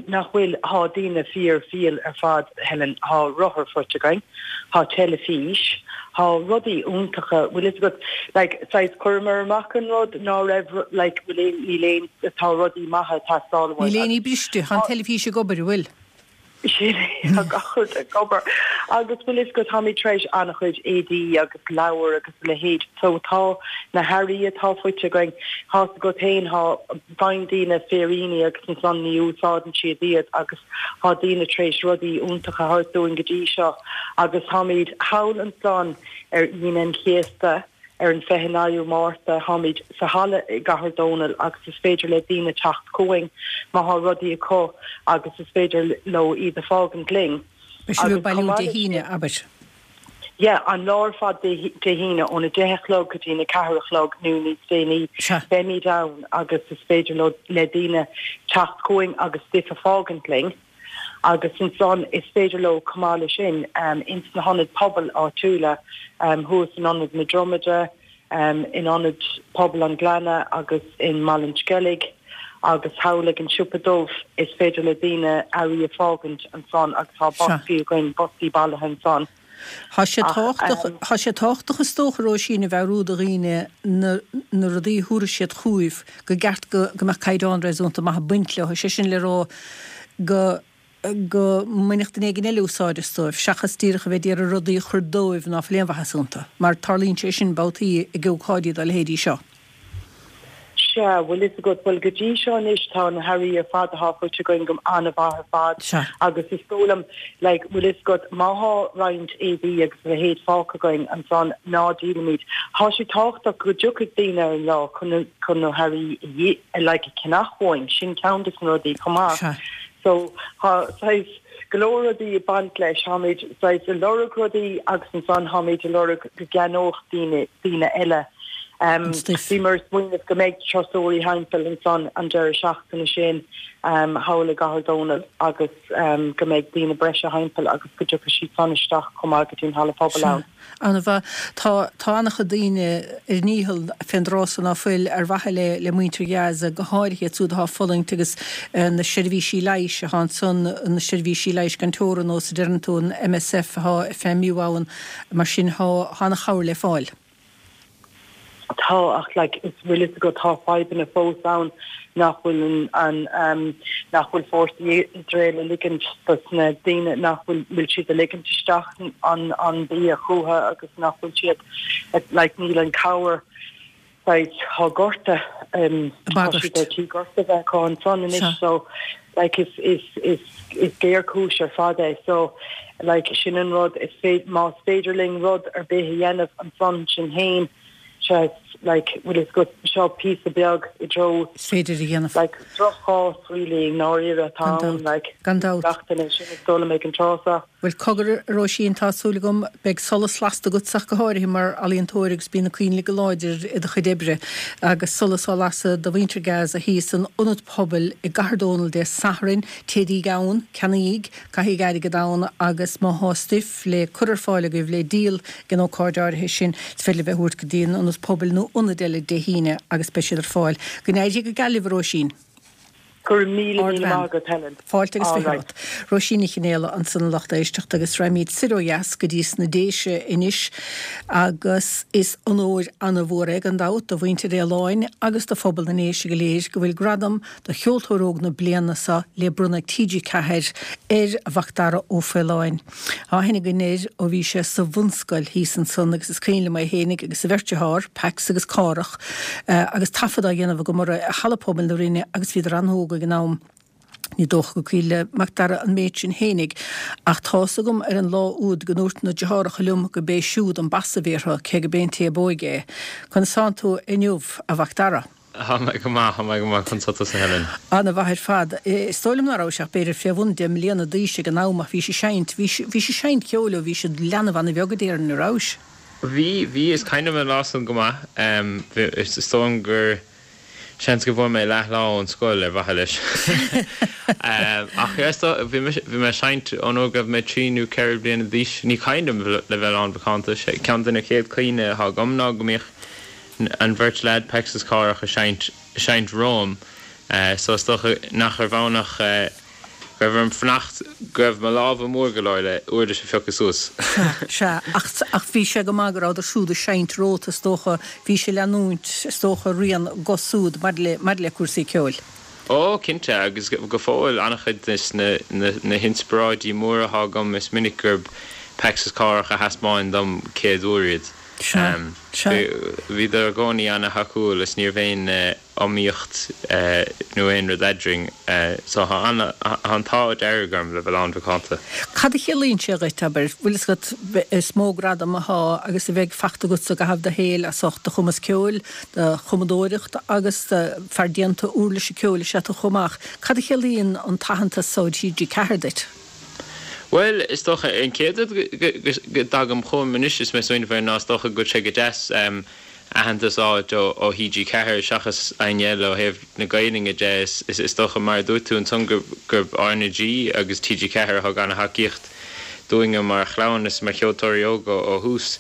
nach bhfuil, thá daoine fíor fial ar fad, Helen, thá rothar faighte againn, thá teilifís, thá rudaí iontacha, bhfuil fhios agat, like, saghas chuireamar amach an rud ná raibh, like, bhfuil aon, níl aon, tá rudaí maithe ag teastáil uainn Níl aon ní briste, thá an teilifís ag obair, an bhfuil? Sin é, tá gach rud ag obair. Agus bhfuil fhios agat, táimid tar éis an-chuid éadaí agus leabhar agus a leithéid. So tá na hearraí atá faighte againn, tá fhios agat féin, thá, faigheann daoine féiríní agus ansan ní úsáideann siad iad agus thá daoine tar éis rudaí iontacha a thabhairt dúinn go dtí seo. Agus táimid thall ansan ar Aoine an Chéasta. Ar an 29ú Márta táimid sa halla i gCathair Dónall agus is féidir le daoine teacht chugainn má thá rudaí acu agus is féidir leo iad a fágaint linn. Beidh sibh ag bailiú Dé hAoine, abair? Yeah, an lá ar fad Dé hAoine óna 10 a chlog go dtí na 4 a chlog nó níos déanaí beimid ann agus is féidir leo le daoine teacht chugainn agus stuif a fágaint linn. Agus ansan is féidir leo chomh maith leis sin ins na hionaid pobail áitiúla thuas in Ionad na Dromada, in Ionad Pobail an Ghleanna agus i mBaile an Sceilg agus thall ag an Siopa Dubh is féidir le daoine earraí a fágaint ansan agus tá boscaí againn, boscaí bailithe ansan. Tá sé tábhachtach, tá sé tábhachtach is dócha, a Róisín, a mheabhrú do dhaoine na na rudaí a thabharfaidh siad chugaibh, go gceart go go mbeadh caighdeán réasúnta maith ag baint leo, sé sin le rá go go mbainfeadh duine éigin eile úsáid astu, seachas díreach a bheith d'iarraidh rudaí a chur dóibh ná fuil aon mhaitheas iontu, mar tarlaíonn sé sin babhtaí ag ócáidí dá leithéidí seo. Sea, bhfuil fhios agat, bhuel go dtí seo anois tá na hearraí ar fad athá faighte againn go an-mhaith ar fad Sea. agus is dóigh liom, like, bhfuil fhios agat, má thá roinnt éadaí agus a leithéid fágtha againn ansan, ná díolaimid. Thá sé tábhachtach go dtiocfaidh daoine ar an lá chun na, chun na hearraí a dhí, like, a cheannach uainn, sin ceann des na rudaí chomh maith. Sea. So, thá saghas go leor rudaí ag baint leis, tháimid saghas ag lorg rudaí agus ansan tháimid ag lorg go gceannódh daoine, daoine eile. An stuif. Bhíomar ag smaoineamh go mbeidh turasóirí thimpeall ansan an deireadh seachtaine sin thall i gCathair Dónall agus go mbeidh daoine breise thimpeall agus go dtiocfaidh siad san isteach chomh maith go dtí an halla pobail ann. An-mhaith. Tá, tá an-chuid daoine ar a ndícheall fén dtráth so ná fuil ar mhaithe le, le muintir Ghaza, go háirithe iad siúd atá ag fulaingt agus na seirbhísí leighis atá ansan, na seirbhísí leighis gan teorainn nós a deireann tú, an MSF atá ag feidhmiú ann, mar sin tá, tá an-chabhair le fáil. Tá, ach like is bhfuil fhios agat tá fadhbanna fós ann nach bhfuil an, an ehm nach bhfuil fórsaí Iosrael ag ligint dos na daoine nach bhfuil bhfuil siad ag ligint isteach an an bia chucu agus nach bhfuil siad like níl an cabhair saghas tá gorta ehm tá siad ar tí gorta bheith acu ansan anois so like is is is is géarchúis ar fad é so like sin an rud is féidir más féidir linn rud ar bith a dhéanamh ansan sin féin sea like bhfuil fhios agat seo píosa beag i dtreo is féidir a dhéanamh like droch-chás really i ndáiríre atá ann like gan dabht gach duine sin is dóigh liom ag an tráth seo. Bhuel cogar a Róisín tá súil agam beidh solas lasta agatsa ach go háirithe mar ealaíontóir agus bíonn na coinnle go láidir i do chuid oibre agus solas á lasadh do mhuintir Gaza thíos san Ionad Pobail i gCathair Dónall Dé Sathairn. Téidíg ann, ceannaíg, caithíg airgead ann agus má thá stuif le cur ar fáil agaibh le díol ag an ócáid áirithe sin is féidir libh é a thabhairt go dtí an Ionad Pobail nó ionaid eile Dé hAoine agus beidh siad ar fáil. Go n-éirí go geal libh a Róisín. Go raibh míle míle maith agat, Helen. Fáilte agus 20 romhat. Róisín Ní Chionnaola ansan a lucht éisteachta agus raghaimid soir ó dheas go dtí sna Déise anois agus is onóir ana-mhór é gan dabht do mhuintir Fhaoláin agus do phobal na nDéise go léir go bhfuil gradam do Cheoltóir Óg na Bliana seo le bronnadh ag TG4 ar Mhacdara Ó Faoláin. Tá aithne againn air ó bhí sé sa bhunscoil thíos ansan agus is cuimhin liom é fhéinig agus a bheirt dearthár, Pax agus Cárthach, agus taifead á dhéanamh agam orthu i Halla Pobail na Rinne agus bhíodar an-óg ag an am. Ní dócha gur cuimhin le Macdara an méid sin fhéinig ach tá's agam ar an lá úd go ndúirt na deartháireacha liom go b'é siúd an bas a bhí orthu, cé go b'é an té ab óige é. Conas tánn tú inniu, a Mhacdara? Tá mé go maith, tá mé go maith, conas tá tusa Helen? Ana-mhaith ar fad. Is dóigh liom ná rabhais ach b'fhéidir fé bhun 10 mbliana d'aois ag an am ach bhís ag seinnt, bhís, bhís ag seinnt ceoil ó bhí siad leanbh ana-bheag a déarfainn, an rabhais? Bhí, bhí, is cuimhin liom an lá san go maith. Bhí, is dóigh liom gur, seans go bhfuair mé leath lá ón scoil ar mhaithe leis. Ach yeah, is dóigh, bhí mise, bhí mé ag seinnt ón uair go raibh mé trí nó ceithre bliana d'aois. Ní cuimhin liom le bheith lánmhacánta. Ceann de na chéad cuimhne atá agam ná go mbíodh an bheirt leaid Pecs is Cárthach ag seinnt, ag seinnt romham so is dócha nach raibh ann ach go raibh orm fanacht go raibh mo lámha mór go leor le uirlis a phiocadh suas. Sea, sea, ach, ach bhí sé go maith go rabhadar siúd ag seinnt romhat is dócha, bhís ag leanúint is dócha rian acu siúd maidir le, maidir le cúrsaí ceoil. Ó, cinnte, agus go fóill an-chuid de na, na, na hinspioráidí móra atá agam is minic gurb Pecs is Cárthach a thaispeáin dom céad uair iad. Sea, sea. Bhíodar i gcónaí ana-thacúil is ní raibh aon iomaíocht nó aon rud eadrainn so tá an t-ádh dearg orm le bheith lánmhacánta. Cad a chiallaíonn sé dhuit, abair, bhfuil fhios agat, is mó gradam athá agus a bheidh fachta agat sa gcaitheamh do shaoil as ucht do chumas ceoil, do chumadóireacht agus fear déanta uirlise ceoil is ea tú chomh maith. Cad a chiallaíonn an t-aitheantas so ó TG4 duit? Bhuel, is dócha, an chéad rud go dtagann chugam anois is mé ag smaoineamh air ná is dócha go bhfuil sé go deas aitheantas a fháilt ó TG4 seachas éinne eile ó thaobh na Gaelainne de. Is dócha, mar a dúirt tú ansan, gurb RnaG agus TG4 a thug ana-thacaíocht dúinne mar chlann is mar cheoltóirí óga ó thús.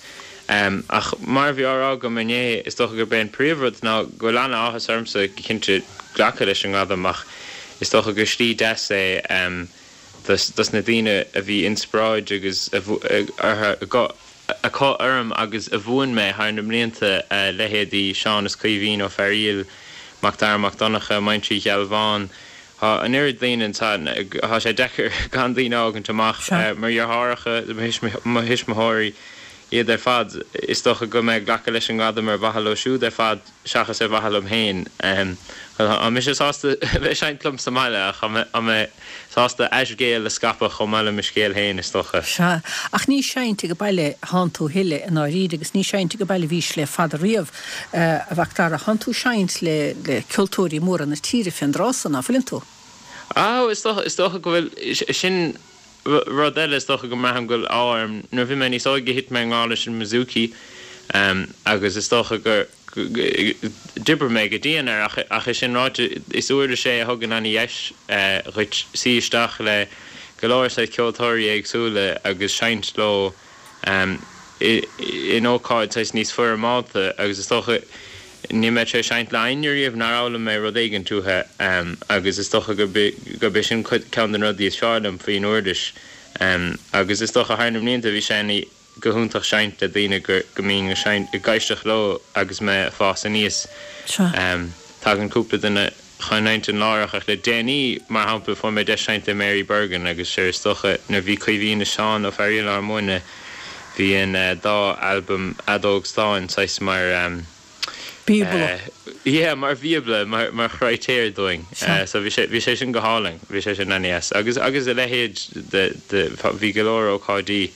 Ach mar a bhí á rá agam inné, is dócha gurb é an príomhrud ná go bhfuil ana-áthas ormsa go cinnte glacadh leis an ngradam ach is dócha gur slí deas é dos na daoine a bhí inspioráid agus orthu acu orm agus a mhúin mé thar na mblianta, leithéidí Seán is Caoimhín Ó Fearaíl, Mac Dara Mac Donncha, Muintir Uí Ghealbháin. Tá an oiread daoine anso, tá sé deacair gan daoine a fhágaint amach, mo dheartháireacha, mo thuismitheoirí, iad ar fad. Is dócha go mbeidh mé ag glacadh leis an ngradam ar mhaithe leo siúd ar fad. seachas ar mhaithe liom féin. Tá mise sásta bheith ag seinnt liom sa mbaile ach tá mé sásta a scéal a scaipeadh chomh maith le mo scéal féin, is dócha. Sea, ach ní seinnt ag baile thánn tú a thuilleadh i ndáiríre agus ní seinnt ag baile a bhís le fada riamh, a Mhac Dara. Thánn tú seinnt le ceoltóirí móra na tíre fén dtráth so, ná fuileann tú? Á, is dócha, is dócha go bhfuil, sin rud eile is dócha go mbraithim go bhfuil ádh orm. Nuair a bhí mé níos óige thit mé i ngrá leis an mbouzouki agus is dócha gur d'oibrigh mé go dian air ach ach é sin ráite is uirlis é a thugann ana-dheis dhuit suí isteach le go leor saghas ceoltóirí éagsúla agus seinnt leo in ócáid saghas níos foirmeálta agus is dócha níl mé tar éis seinnt le éinne riamh nár fhoghlaim mé rud éigint uathu agus is dócha gurb é sin ceann de na rudaí is fearr liom faoin uirlis agus is dócha thar na mblianta bhí sé ina go hiontach seinnt le daoine go mbínn ag seinnt ag éisteacht leo agus mé ag fás aníos. Tagann cúpla duine chun intinn láithreach ach le déanaí, mar shampla, fuair mé deis seinnt le Mary Bergin agus sure is dócha nuair a bhí Caoimhín is Seán Ó Fearaíl ár múineadh bhí an dá albam Fheadóg Stáin saghas mar Bíobla. Yeah, mar bhíobla, mar mar chritéir dúinn. So bhí sé bhí sé sin go hálainn, bhí sé sin an-deas. Agus agus a leithéid de de bhí go leor ócáidí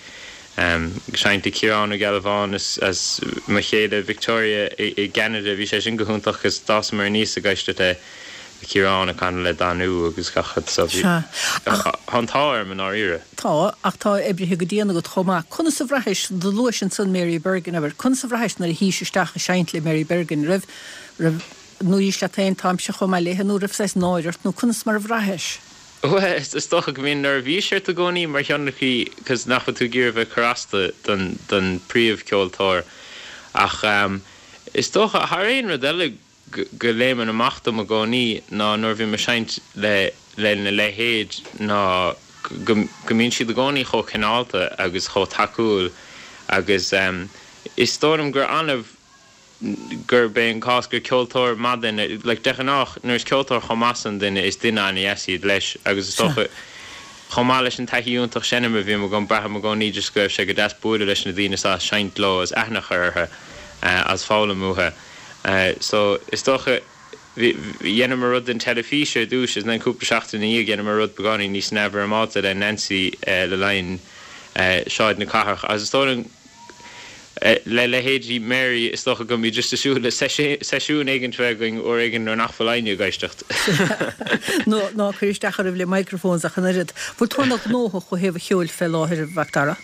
seinnt le Ciarán Ó Gealbháin is as mo chéile Victoria i i gCeanada, bhí sé sin go hiontach 'cause d'fhásamar aníos ag éisteacht le Ciarán ag canadh le Danú agus gach rud so bhí Sea. Ach. tá an t-ádh orm i ndáiríre. Tá, ach tá oibrithe go dian agat chomh maith. Conas a bhraithis, do luais ansan Mary Bergin, abair, conas a bhraithis nuair a shuís isteach ag seinnt le Mary Bergin, raibh, raibh, nó dhúirt leat féin, táimse chomh maith léithe, nó raibh saghas náire ort, nó conas mar a bhraithis? Bhuel, is dócha go mbíonn neirbhís ort i gcónaí mar thionlacaí 'cause nach bhfuil tú ag iarraidh bheith ag cur as do, don, don príomhcheoltóir. Ach is dócha, thar aon rud eile, go léimeann amach dom i gcónaí ná nuair a bhím ag seinnt le lena leithéid ná go go mbíonn siad i gcónaí chomh cineálta agus chomh tacúil agus is dóigh liom gur annamh gurb é an cás gur ceoltóir maith duine, like de ghnách nuair is ceoltóir chomh maith san duine is duine an-dheas iad leis agus is dócha chomh maith leis an taithí iontach seinm a bhí agam braithim i gcónaí just go raibh sé go deas bualadh leis na daoine seo seinnt leo is aithne a chur orthu agus foghlaim uathu. So, is dócha, bhí, dheineamar rud don teilifís ar dtús is then cúpla seachtain ina dhiaidh dheineamar rud beagáinín níos neamhfhoirmeálta le Nancy le linn Sráid na Cathrach agus is dóigh liom. Le leithéidí Mary, is dócha go mbeidh just ag súil le seisiún éigin a bheith againn uair éigin nuair nach bhfuil éinne ag éisteacht. Nó ná cuir isteach oraibh le microphones ach an oiread. Bhfuil tú ana ghnóthach ó thaobh an cheoil fé láthair, a Mhac Dara?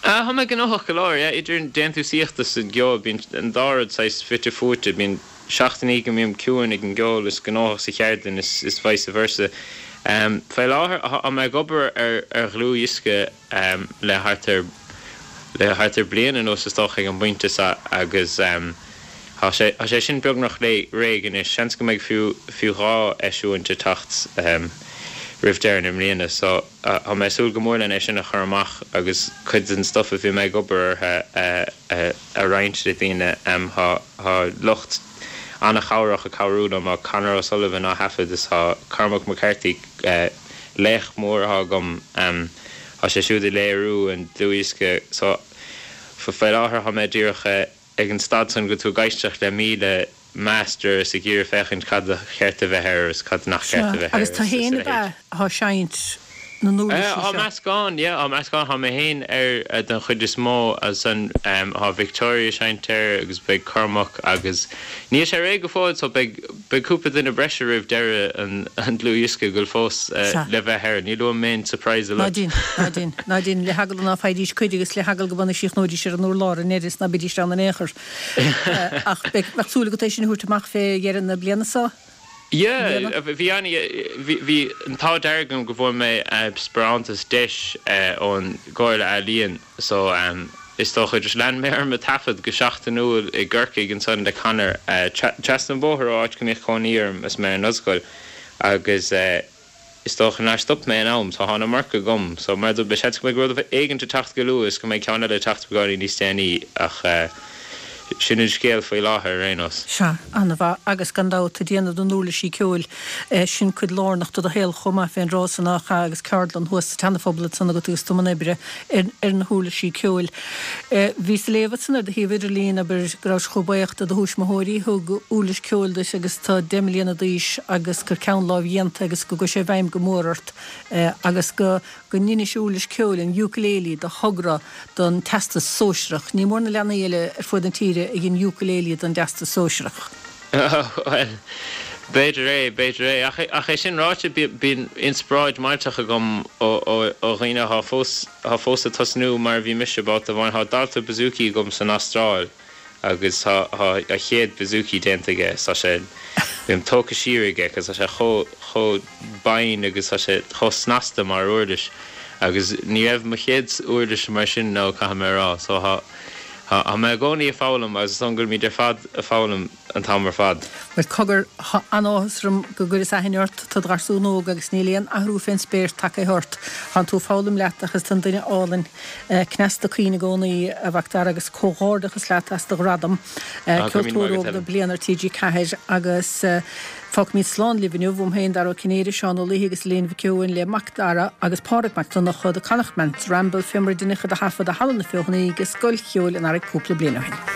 Tá mé gnóthach go leor, yeah. Idir an déantúsaíocht is an gceol, bíonn an dá rud saghas fite fuaite. Bíonn seachtainí go mbím ciúin ag an gceol is gnóthach sa cheardlann is vice versa. Fé láthair, tá mé ag obair ar dhlúthdhiosca le thart ar le thart ar bliain anuas is dócha ag an bpointe seo agus tá sé tá sé sin beagnach réidh anois. Seans go mbeidh fiú fiú 2 eisiúint ag teacht roimh deireadh na mbliana so tá mé ag súil go mór len é sin a chur amach agus cuid den stuff a bhí mé ag obair orthu a a roinnt le daoine. Tá tá lucht an-chabhrach ag cabhrú liom, tá Conor O'Sullivan á thaifead is tá Cormac McCarthy Laoch mór atá agam. Tá sé siúd ag léiriú an dlúthdhiosca so faoi láthair tá mé díreach ag an staid san go bhfuil tú ag éisteacht le 1000 master is ag iarraidh féachaint cad ba cheart a bheith air is cad nach ceart a bheith air Agus tú is féin a ab ea leithéid. atá ag seinnt na n-uirlisí Tá seo? meascán, yeah, tá meascán. Tá mé féin air den chuid is mó agus ansan tá Victoria ag seinnt air agus beidh Cormac agus níl sé réidh go fóill so beidh Beidh cúpla duine breise roimh deireadh an dlúthdhiosca go bhfuil fós le bheith air. Níl uaim aon surprise Ná dein, ná dein, ná dein, le heagla ná faighidís cuireadh agus le heagla go mb'ionann síochnóidís ar an urlár i ndeireadh is ná beidís ann in aon chor. Ach beidh, bheadh súil agat é sin a thabhairt amach fé dheireadh na bliana seo? Yeah, bhí an, bhí, bhí an t-ádh dearg agam go bhfuair mé sparántas deis ón gComhairle Ealaíon. So, is dócha, just lean mé orm ag taifead go seachtainiúil i gCorcaigh ansan le Conor, trasna an bóthar ó áit go mbíodh cónaí orm is mé ar an ollscoil agus is dócha nár stop mé in am, so thá an iomarca agam. So, mar a dúirt mé, seans go mbeidh rud éigint ag teacht go luath is go mbeidh ceann eile ag teacht beagáinín níos déanaí ach sin an scéal faoi láthair ar aon nós. Sea, an-mhaith agus gan dabht ag déanamh na n-uirlisí ceoil Sin cuid lárnach de do shaol chomh maith fén dtráth san nach ea agus ceardlann thuas sa tSeana-Phobal ansan agat agus tú i mbun oibre ar na huirlisí ceoil. Bhíos ag léamh ansan ar do shuíomh idirlín, abair, go rabhais chomh buíoch de do thuismitheoirí a thug uirlis ceoil duit agus tú 10 mbliana d'aois agus gur ceann lámhdhéanta agus go gcuaigh sé i bhfeidhm go mór ort agus go go ndeinis uirlis ceoil, an ukulele, do thogra don Teastas Sóisearach. Ní mór na leanaí eile ar fuaid na tíre a dhein ukulele don dTeastas Sóisearach. Bhuel, b'fhéidir é, b'fhéidir é. Ach é sin ráite, bíonn inspioráid millteach agam ó dhaoine atá fós, atá fós ag tosnú mar a bhí mise babhta amháin. Tá dalta bouzouki agam san Astráil agus tá a chéad bouzouki déanta aige is tá sé, bím tógtha siar aige cos tá sé chomh, chomh binn agus tá sé chomh snasta mar uirlis agus ní raibh mo chéad uirlis mar sin nó caithfidh mé a rá. So tá. Tá mé i gcónaí ag foghlaim agus is dóigh go bhfuilimid ar fad ag foghlaim an t-am ar fad. Bhuel, cogar, tá an-áthas orm go gcuireas aithne ort, tá do gharsún óg agus níl aon athrú fén spéir tagtha ort. Tánn tú ag foghlaim leat ach is tú an duine álainn, cneasta caoin i gcónaí, a Mhac Dara, agus comhghairdeachas leat as do ghradam, Ceoltóir Óg na Bliana ar TG4 agus. Fágfaimid slán libh inniu, uaim féin, Dara Ó Cinnéide, Seán Ó Laoithe agus Elaine Mhic Eoin le Mac Dara agus Pádraig Mac Donncha, The Connachtman's Ramble, fé mar a deineadh iad a thaifead i Halla na Feothanaí ag Scoil Cheoil an Earraigh cúpla bliain ó shin.